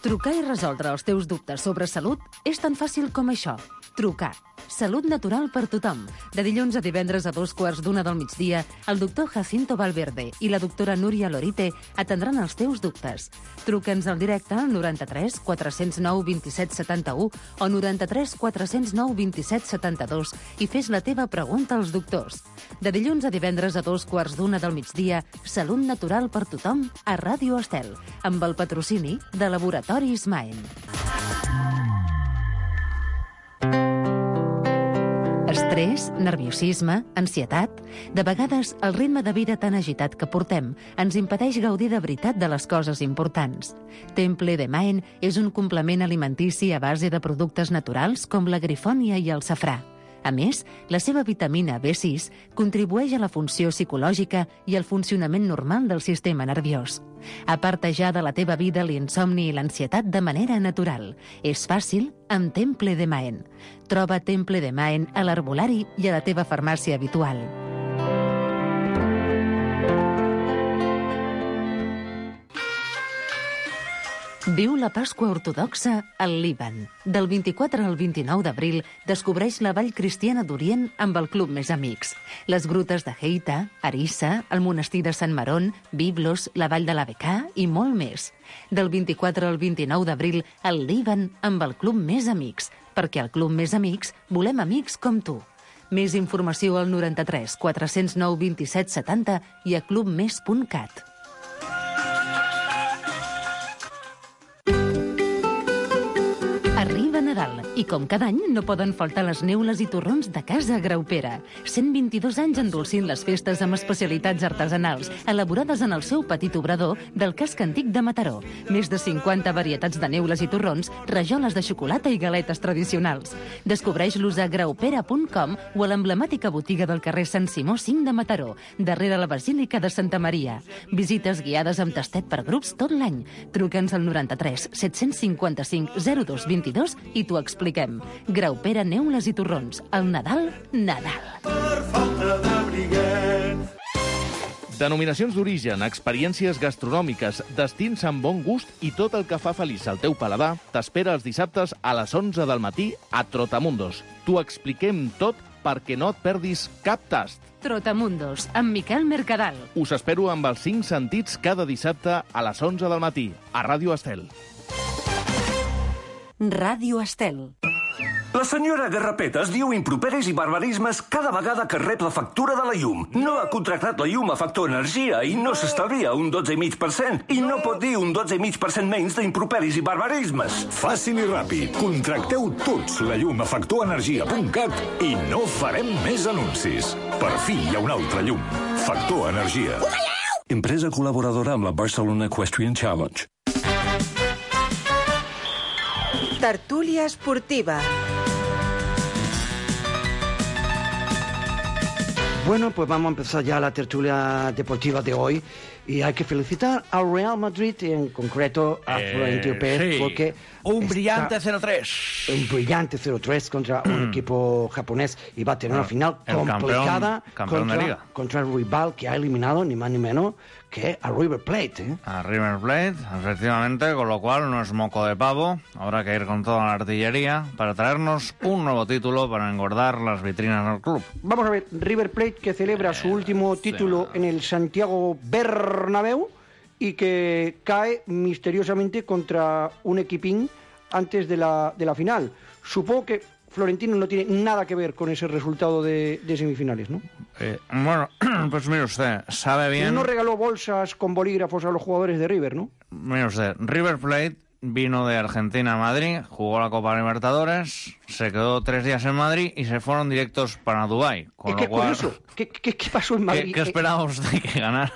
Trucar i resoldre els teus dubtes sobre salut és tan fàcil com això. Trucar. Salut natural per tothom. De dilluns a divendres a dos quarts d'una del migdia, el doctor Jacinto Valverde i la doctora Núria Lorite atendran els teus dubtes. Truca'ns al directe al noranta-tres, quatre-cents nou, vint-i-set, setanta-u o noranta-tres, quatre-cents nou, vint-i-set, setanta-dos i fes la teva pregunta als doctors. De dilluns a divendres a dos quarts d'una del migdia, Salut natural per tothom a Ràdio Estel, amb el patrocini de Laboratoris Maen. Estrès, nerviosisme, ansietat... De vegades, el ritme de vida tan agitat que portem ens impedeix gaudir de veritat de les coses importants. Temple de Maen és un complement alimentici a base de productes naturals com la grifònia i el safrà. A més, la seva vitamina B sis contribueix a la funció psicològica i al funcionament normal del sistema nerviós. Aparta ja de la teva vida l'insomni i l'ansietat de manera natural. És fàcil amb Temple de Maen. Troba Temple de Maen a l'herbolari i a la teva farmàcia habitual. Viu la Pasqua Ortodoxa al Líban. Del vint-i-quatre al vint-i-nou d'abril descobreix la Vall Cristiana d'Orient amb el Club Més Amics. Les grutes de Heita, Arissa, el monestir de Sant Marón, Biblos, la Vall de la Becà i molt més. Del vint-i-quatre al vint-i-nou d'abril al Líban amb el Club Més Amics, perquè al Club Més Amics volem amics com tu. Més informació al noranta-tres, quatre-cents nou, vint-i-set, setanta i a clubmes punt cat. Arriba Nadal i com cada any no poden faltar les neules i torrons de Casa Graupera. cent vint-i-dos anys endolcint les festes amb especialitats artesanals, elaborades en el seu petit obrador del casc antic de Mataró. Més de cinquanta varietats de neules i torrons, rajoles de xocolata i galetes tradicionals. Descobreix-los a graupera punt com o a l'emblemàtica botiga del carrer Sant Simó cinc de Mataró, darrere la Basílica de Santa Maria. Visites guiades amb tastet per grups tot l'any. Truca'ns al noranta-tres, set-cents cinquanta-cinc, zero dos vint-i-dos i t'ho expliquem. Graupera, neules i torrons. El Nadal, Nadal. Per falta de briguet. Denominacions d'origen, experiències gastronòmiques, destins amb bon gust i tot el que fa feliç al teu paladar t'espera els dissabtes a les onze del matí a Trotamundos. T'ho expliquem tot perquè no et perdis cap tast. Trotamundos, amb Miquel Mercadal. Us espero amb els cinc sentits cada dissabte a les onze del matí, a Ràdio Estel. Ràdio Estel. La senyora Garrapetes diu improperis i barbarismes cada vegada que rep la factura de la llum. No ha contractat la llum a Factor Energia i no s'estalvia un dotze coma cinc per cent. I no pot dir un dotze coma cinc per cent menys d'improperis i barbarismes. Fàcil i ràpid. Contracteu tots la llum a factor energia punt cat i no farem més anuncis. Per fi hi ha una altra llum. Factor Energia. Empresa col·laboradora amb la Barcelona Equestrian Challenge. Tertúlia esportiva. Bueno, pues vamos a empezar ya la tertulia deportiva de hoy y hay que felicitar al Real Madrid, en concreto a Eh, Florentino Pérez, sí. porque Un está- brillante cero tres. un brillante cero tres contra un equipo japonés y va a tener una final el campeón- complicada campeón de contra, liga. contra el rival que ha eliminado ni más ni menos que a River Plate. ¿eh? A River Plate, efectivamente, con lo cual no es moco de pavo. Habrá que ir con toda la artillería para traernos un nuevo título para engordar las vitrinas del club. Vamos a ver, River Plate que celebra su último título en el Santiago Bernabéu y que cae misteriosamente contra un equipín antes de la, de la final. Supongo que Florentino no tiene nada que ver con ese resultado de, de semifinales, ¿no? Eh, bueno, pues mire usted, sabe bien... No regaló bolsas con bolígrafos a los jugadores de River, ¿no? Mire usted, River Plate vino de Argentina a Madrid, jugó la Copa Libertadores, se quedó tres días en Madrid y se fueron directos para Dubái. Con Es lo que cual, curioso. ¿Qué, qué, qué pasó en Madrid? ¿Qué, qué esperaba usted que ganaran?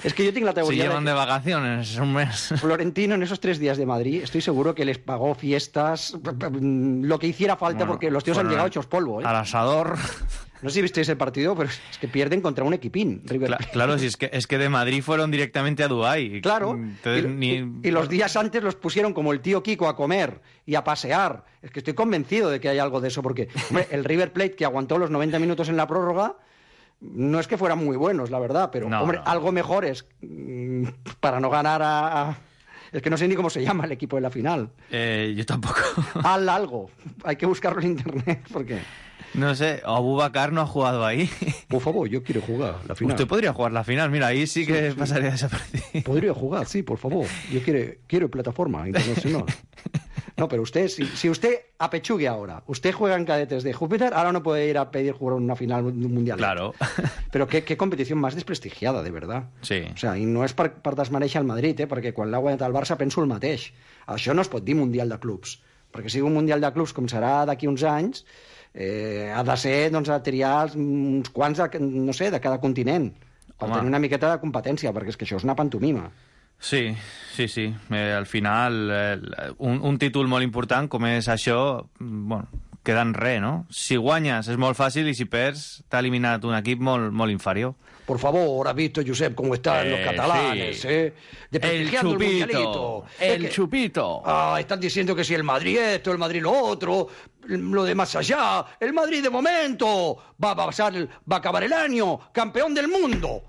Es que yo tengo la teoría Si llevan de de que vacaciones un mes. Florentino en esos tres días de Madrid, estoy seguro que les pagó fiestas, lo que hiciera falta, Bueno, porque los tíos han fueron llegado hechos polvo. ¿eh? Al asador. No sé si visteis el partido, pero es que pierden contra un equipín. River Cla- Plate. claro, si es que, es que de Madrid fueron directamente a Dubái. Claro, Entonces, y, ni- y- y los días antes los pusieron como el tío Kiko a comer y a pasear. Es que estoy convencido de que hay algo de eso, porque hombre, el River Plate que aguantó los noventa minutos en la prórroga, no es que fueran muy buenos, la verdad, pero No, hombre, no. algo mejor es mm, para no ganar a, a- Es que no sé ni cómo se llama el equipo de la final. Eh, yo tampoco. Al algo. Hay que buscarlo en internet, porque... No sé, Abubakar no ha jugado ahí. Por favor, yo quiero jugar la final. Usted podría jugar la final, mira, ahí sí que Sí, sí. pasaría desaparecido. Podría jugar, sí, por favor. Yo quiero, quiero plataforma internacional. No, pero usted, si, si usted apechugue ahora, usted juega en cadetes de Júpiter, ahora no puede ir a pedir jugar una final mundial. Claro. Però qué, qué competició més desprestigiada, de veritat. Sí. O sea, i no és per, per desmereixer el Madrid, eh, perquè quan l'ha guanyat el Barça penso el mateix. Això no es pot dir Mundial de Clubs, perquè si un Mundial de Clubs, com serà d'aquí uns anys, eh, ha de ser, doncs, a triar els- uns quants, de, no sé, de cada continent, per Home. tenir una miqueta de competència, perquè és que això és una pantomima. Sí, sí, sí. Eh, al final, eh, un, un títol molt important com és això, bueno, queda en res, no? Si guanyes és molt fàcil i si perds t'ha eliminat un equip molt, molt inferior. Por favor, ¿has visto, Josep, cómo están los Eh, catalanes? sí. ¿eh? Desprestigiando El chupito, mundialito. el Es que- chupito. Ah, están diciendo que si el Madrid esto, el Madrid lo otro, lo de más allá. El Madrid de momento va a pasar, va a acabar el año campeón del mundo.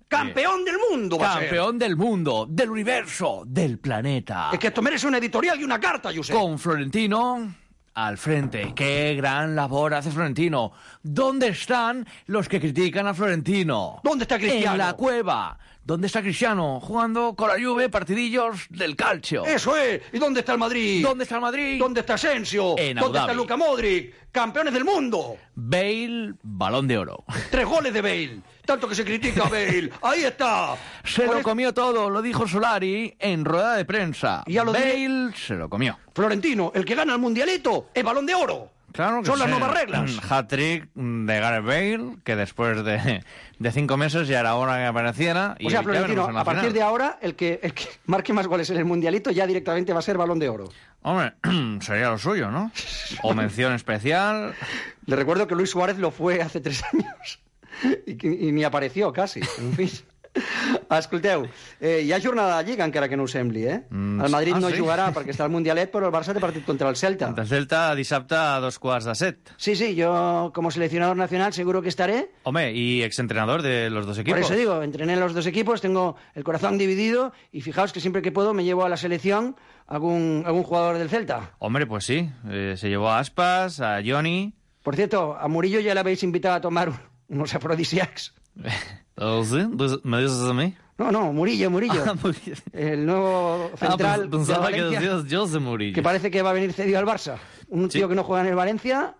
Campeón del mundo va a ser. Campeón del mundo, del universo, del planeta. Es que esto merece una editorial y una carta, Josep. Con Florentino al frente. ¡Qué gran labor hace Florentino! ¿Dónde están los que critican a Florentino? ¿Dónde está Cristiano? En la cueva. ¿Dónde está Cristiano? Jugando con la Juve partidillos del calcio. Eso es. ¿Y dónde está el Madrid? ¿Dónde está el Madrid? ¿Dónde está Asensio? En Abu ¿Dónde está Dhabi. Luka Modric? Campeones del mundo. Bale, balón de oro. Tres goles de Bale. Tanto que se critica a Bale. Ahí está. Se Con lo es- comió todo, lo dijo Solari en rueda de prensa. Y a lo de- Bale se lo comió. Florentino, el que gana el mundialito, es balón de oro. Claro que Son las sí. nuevas reglas. Hat-trick de Gareth Bale, que después de, de cinco meses ya era hora que apareciera. Y O sea, ya veremos Florentino, en la a partir final. de ahora, el que, el que marque más goles en el Mundialito ya directamente va a ser Balón de Oro. Hombre, sería lo suyo, ¿no? O mención especial. Le recuerdo que Luis Suárez lo fue hace tres años y, que- y ni apareció casi. En fin. Escolteu, eh, hi ha jornada de Lliga, encara que no ho sembli, eh? Mm, el Madrid ah, no sí? jugarà perquè està al Mundialet, però el Barça té partit contra el Celta. El Celta dissabte a dos quarts de set. Sí, sí, yo como seleccionador nacional seguro que estaré. Hombre, y exentrenador de los dos equipos. Por eso digo, entrené en los dos equipos, tengo el corazón dividido y fijaos que siempre que puedo me llevo a la selección algún, algún jugador del Celta. Hombre, pues sí. Eh, se llevó a Aspas, a Johnny. Por cierto, a Murillo ya le habéis invitado a tomar unos afrodisíacos. ¿Oh, sí? ¿Me dices a mí? No, no, Murillo, Murillo. Ah, Murillo. El nuevo central ah, pensaba de que Valencia, decías José Murillo. que parece que va a venir cedido al Barça. Un Sí. tío que no juega en el Valencia,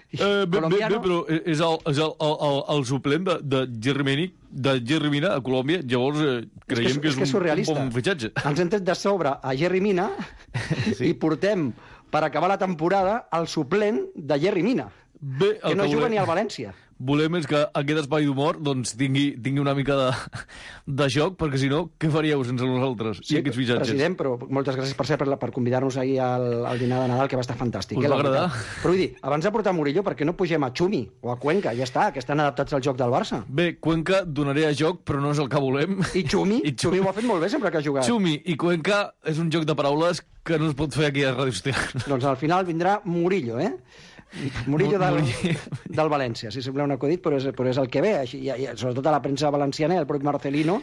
Eh, bé, bé, colombiano. bé, però és el, és el, el, el, el suplent de, de Jerry de Jerry Mina a Colòmbia, llavors eh, creiem és que és, que és un, surrealista. un bon fitxatge. Ens hem tret de sobre a Jerry Mina Sí. i portem, per acabar la temporada, el suplent de Jerry Mina, Bé, el que no que juga volem- ni al València. Volem és que aquest espai d'humor doncs, tingui, tingui una mica de, de joc, perquè si no, què faríeu sense nosaltres i aquests fitxatges? President, però moltes gràcies per ser, per, la- per convidar-nos ahir al, al dinar de Nadal, que va estar fantàstic. Us eh, va la agradar? veritat. Però vull dir, abans de portar Murillo, per què no pugem a Xumi o a Cuenca? Ja està, que estan adaptats al joc del Barça. Bé, Cuenca donaré a joc, però no és el que volem. I Xumi? I Xumi ho ha fet molt bé sempre que ha jugat. Xumi i Cuenca és un joc de paraules que no es pot fer aquí a Ràdio Estel. Doncs al final vindrà Murillo, eh? Murillo del, Murillo. del València, si sembla un acudit, però és, però és el que ve. Així, i, i, sobretot a la premsa valenciana i el propi Marcelino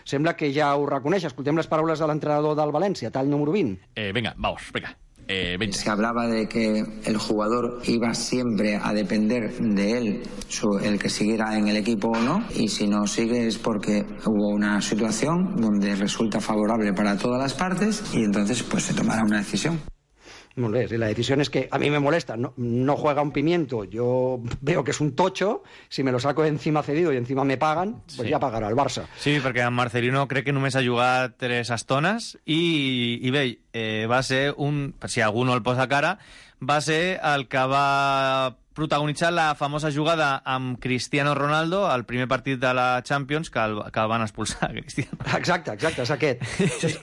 sembla que ja ho reconeix. Escoltem les paraules de l'entrenador del València, tall número vint. Eh, venga, vamos, venga. Eh, venga. Se hablaba de que el jugador iba siempre a depender de él, su- el que siguiera en el equipo o no, y si no sigue es porque hubo una situación donde resulta favorable para todas las partes y entonces pues se tomará una decisión. Molt bé, sí, la decisión es que a mí me molesta, no, no juega un pimiento, yo veo que es un tocho, si me lo saco de encima cedido y encima me pagan, pues Sí. ja pagarà el Barça. Sí, perquè en Marcelino crec que només ha jugat tres estones i, i bé, eh, va ser un... Per si algú no el posa cara, va ser el que va protagonitzar la famosa jugada amb Cristiano Ronaldo al primer partit de la Champions que el, que el van expulsar, Cristiano. Exacte, exacte, és aquest.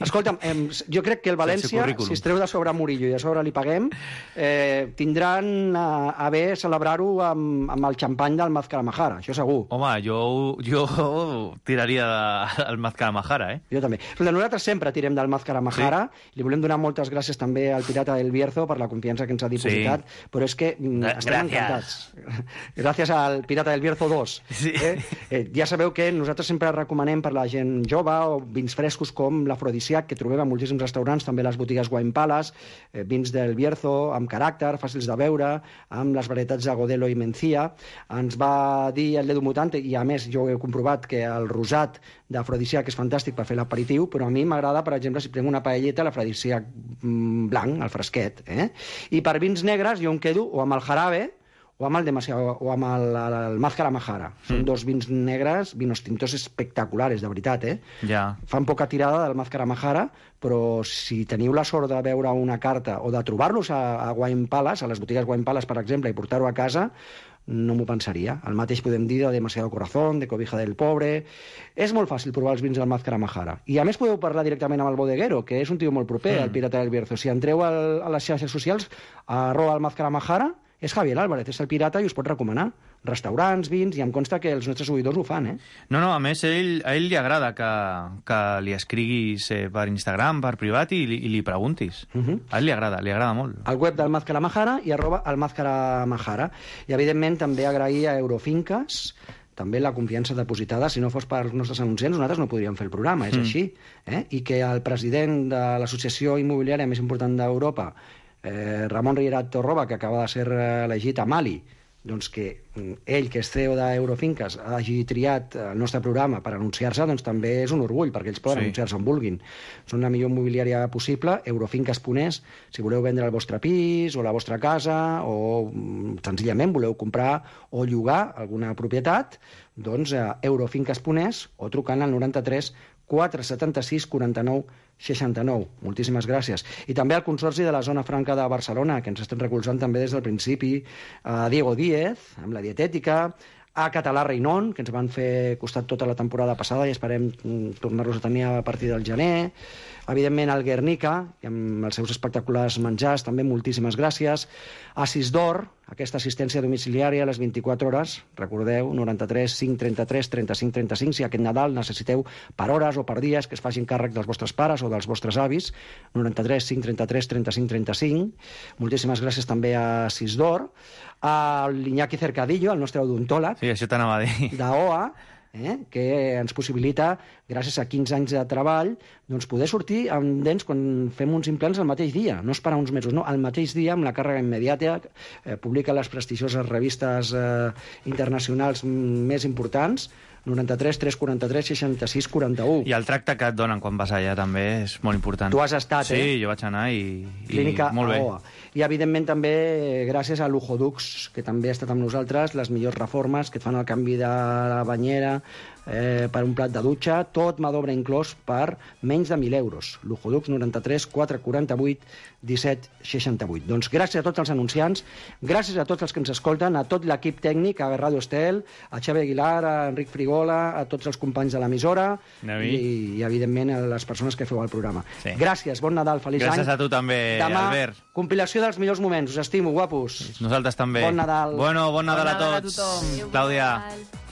Escolta'm, em, jo crec que el València, si es treu de sobre Murillo i a sobre li paguem, eh, tindran a, a bé celebrar-ho amb, amb el xampany del Mazcaramajara, això segur. Home, jo, jo tiraria de, del Mazcaramajara, eh? Jo també. Escolta, nosaltres sempre tirem del Mazcaramajara, sí. Li volem donar moltes gràcies també al Pirata del Bierzo per la confiança que ens ha dipositat, sí. Però és que mm, estem Gràcies. encantats. Gràcies al Pirata del Bierzo dos. Sí. Eh? Eh, ja sabeu que nosaltres sempre recomanem per la gent jove o vins frescos com l'afrodisíac, que trobem a moltíssims restaurants, també a les botigues Wine Palace, eh, vins del Bierzo, amb caràcter, fàcils de beure, amb les varietats de Godelo i Mencía. Ens va dir el Ledo Mutante, i a més jo he comprovat que el rosat d'afrodisíac és fantàstic per fer l'aperitiu, però a mi m'agrada, per exemple, si prenc una paelleta, l'afrodisíac mm, blanc, el fresquet. Eh? I per vins negres jo em quedo o amb el jarabe o amb el, demasiado, o amb el, el, el Mazcaramajara. Són Mm. dos vins negres, vinos tintos espectaculares, de veritat, eh? Ja. Fan poca tirada del Mazcaramajara, però si teniu la sort de veure una carta o de trobar-los a, a Wine Palace, a les botigues Wine Palace, per exemple, i portar-ho a casa, no m'ho pensaria. El mateix podem dir de Demasiado Corazón, de Cobija del Pobre... És molt fàcil provar els vins del Mazcaramajara. I a més podeu parlar directament amb el bodeguero, que és un tio molt proper, Mm. el Pirata del Bierzo. Si entreu al, a les xarxes socials, a arroba el Mazcaramajara, és Javier Álvarez, és el pirata i us pot recomanar restaurants, vins, i em consta que els nostres seguidors ho fan, eh? No, no, a més, ell, a ell li agrada que, que li escriguis eh, per Instagram, per privat, i, li- i li preguntis. Uh -huh. A ell li agrada, li agrada molt. Al web del Mazcaramajara i arroba el Mazcaramajara. I, evidentment, també agrair a Eurofinques també la confiança depositada. Si no fos per els nostres anunciants, nosaltres no podríem fer el programa, és Mm. així. Eh? I que el president de l'associació immobiliària més important d'Europa, eh, Ramon Riera Torroba, que acaba de ser eh, elegit a Mali, doncs que mm, ell, que és C E O d'Eurofinques, hagi triat el nostre programa per anunciar-se, doncs també és un orgull, perquè ells poden Sí. anunciar-se on vulguin. Són la millor immobiliària possible, eurofinques punt es, si voleu vendre el vostre pis o la vostra casa, o mm, senzillament voleu comprar o llogar alguna propietat, doncs a eurofinques punt es o trucant al noranta-tres quatre setanta-sis quaranta-nou seixanta-nou. Moltíssimes gràcies. I també al Consorci de la Zona Franca de Barcelona, que ens estan recolzant també des del principi, a Diego Díez, amb la dietètica, a Català Reinon, que ens van fer costat tota la temporada passada i esperem mm, tornar-los a tenir a partir del gener, Evidentment, al Guernica, amb els seus espectaculars menjars, també moltíssimes gràcies. A Sisdor, aquesta assistència domiciliària a les vint-i-quatre hores, recordeu, noranta-tres cinc trenta-tres trenta-cinc trenta-cinc, si aquest Nadal necessiteu per hores o per dies que es facin càrrec dels vostres pares o dels vostres avis, noranta-tres cinc trenta-tres trenta-cinc trenta-cinc. Moltíssimes gràcies també a Sisdor. A l'Iñaki Cercadillo, el nostre odontòleg. Sí, això t'anava a dir. D'O A, eh, que ens possibilita, gràcies a quinze anys de treball, doncs poder sortir amb dents quan fem uns implants el mateix dia, no esperar uns mesos, no, el mateix dia, amb la càrrega immediata, eh, publica les prestigioses revistes eh, internacionals més importants, noranta-tres tres quaranta-tres seixanta-sis quaranta-u. I el tracte que et donen quan vas allà també és molt important. Tu has estat, sí, eh? Sí, jo vaig anar i, Clínica i molt bé. A O A. I, evidentment, també gràcies a Luxodux, que també ha estat amb nosaltres, les millors reformes, que et fan el canvi de la banyera eh, per un plat de dutxa, tot mà d'obra inclòs per menys de mil euros. Luxodux noranta-tres quatre quaranta-vuit disset seixanta-vuit. Doncs gràcies a tots els anunciants, gràcies a tots els que ens escolten, a tot l'equip tècnic, a Ràdio Estel, a Xavi Aguilar, a Enric Frigola, a tots els companys de l'emissora i, i, evidentment, a les persones que feu el programa. Sí. Gràcies, bon Nadal, feliç gràcies any. Gràcies a tu també, Demà, Albert. Compilació dels millors moments. Us estimo, guapos. Nosaltres també. Bon Nadal. Bueno, bon Nadal, Bon a Nadal a tots. tothom. Clàudia. Adéu.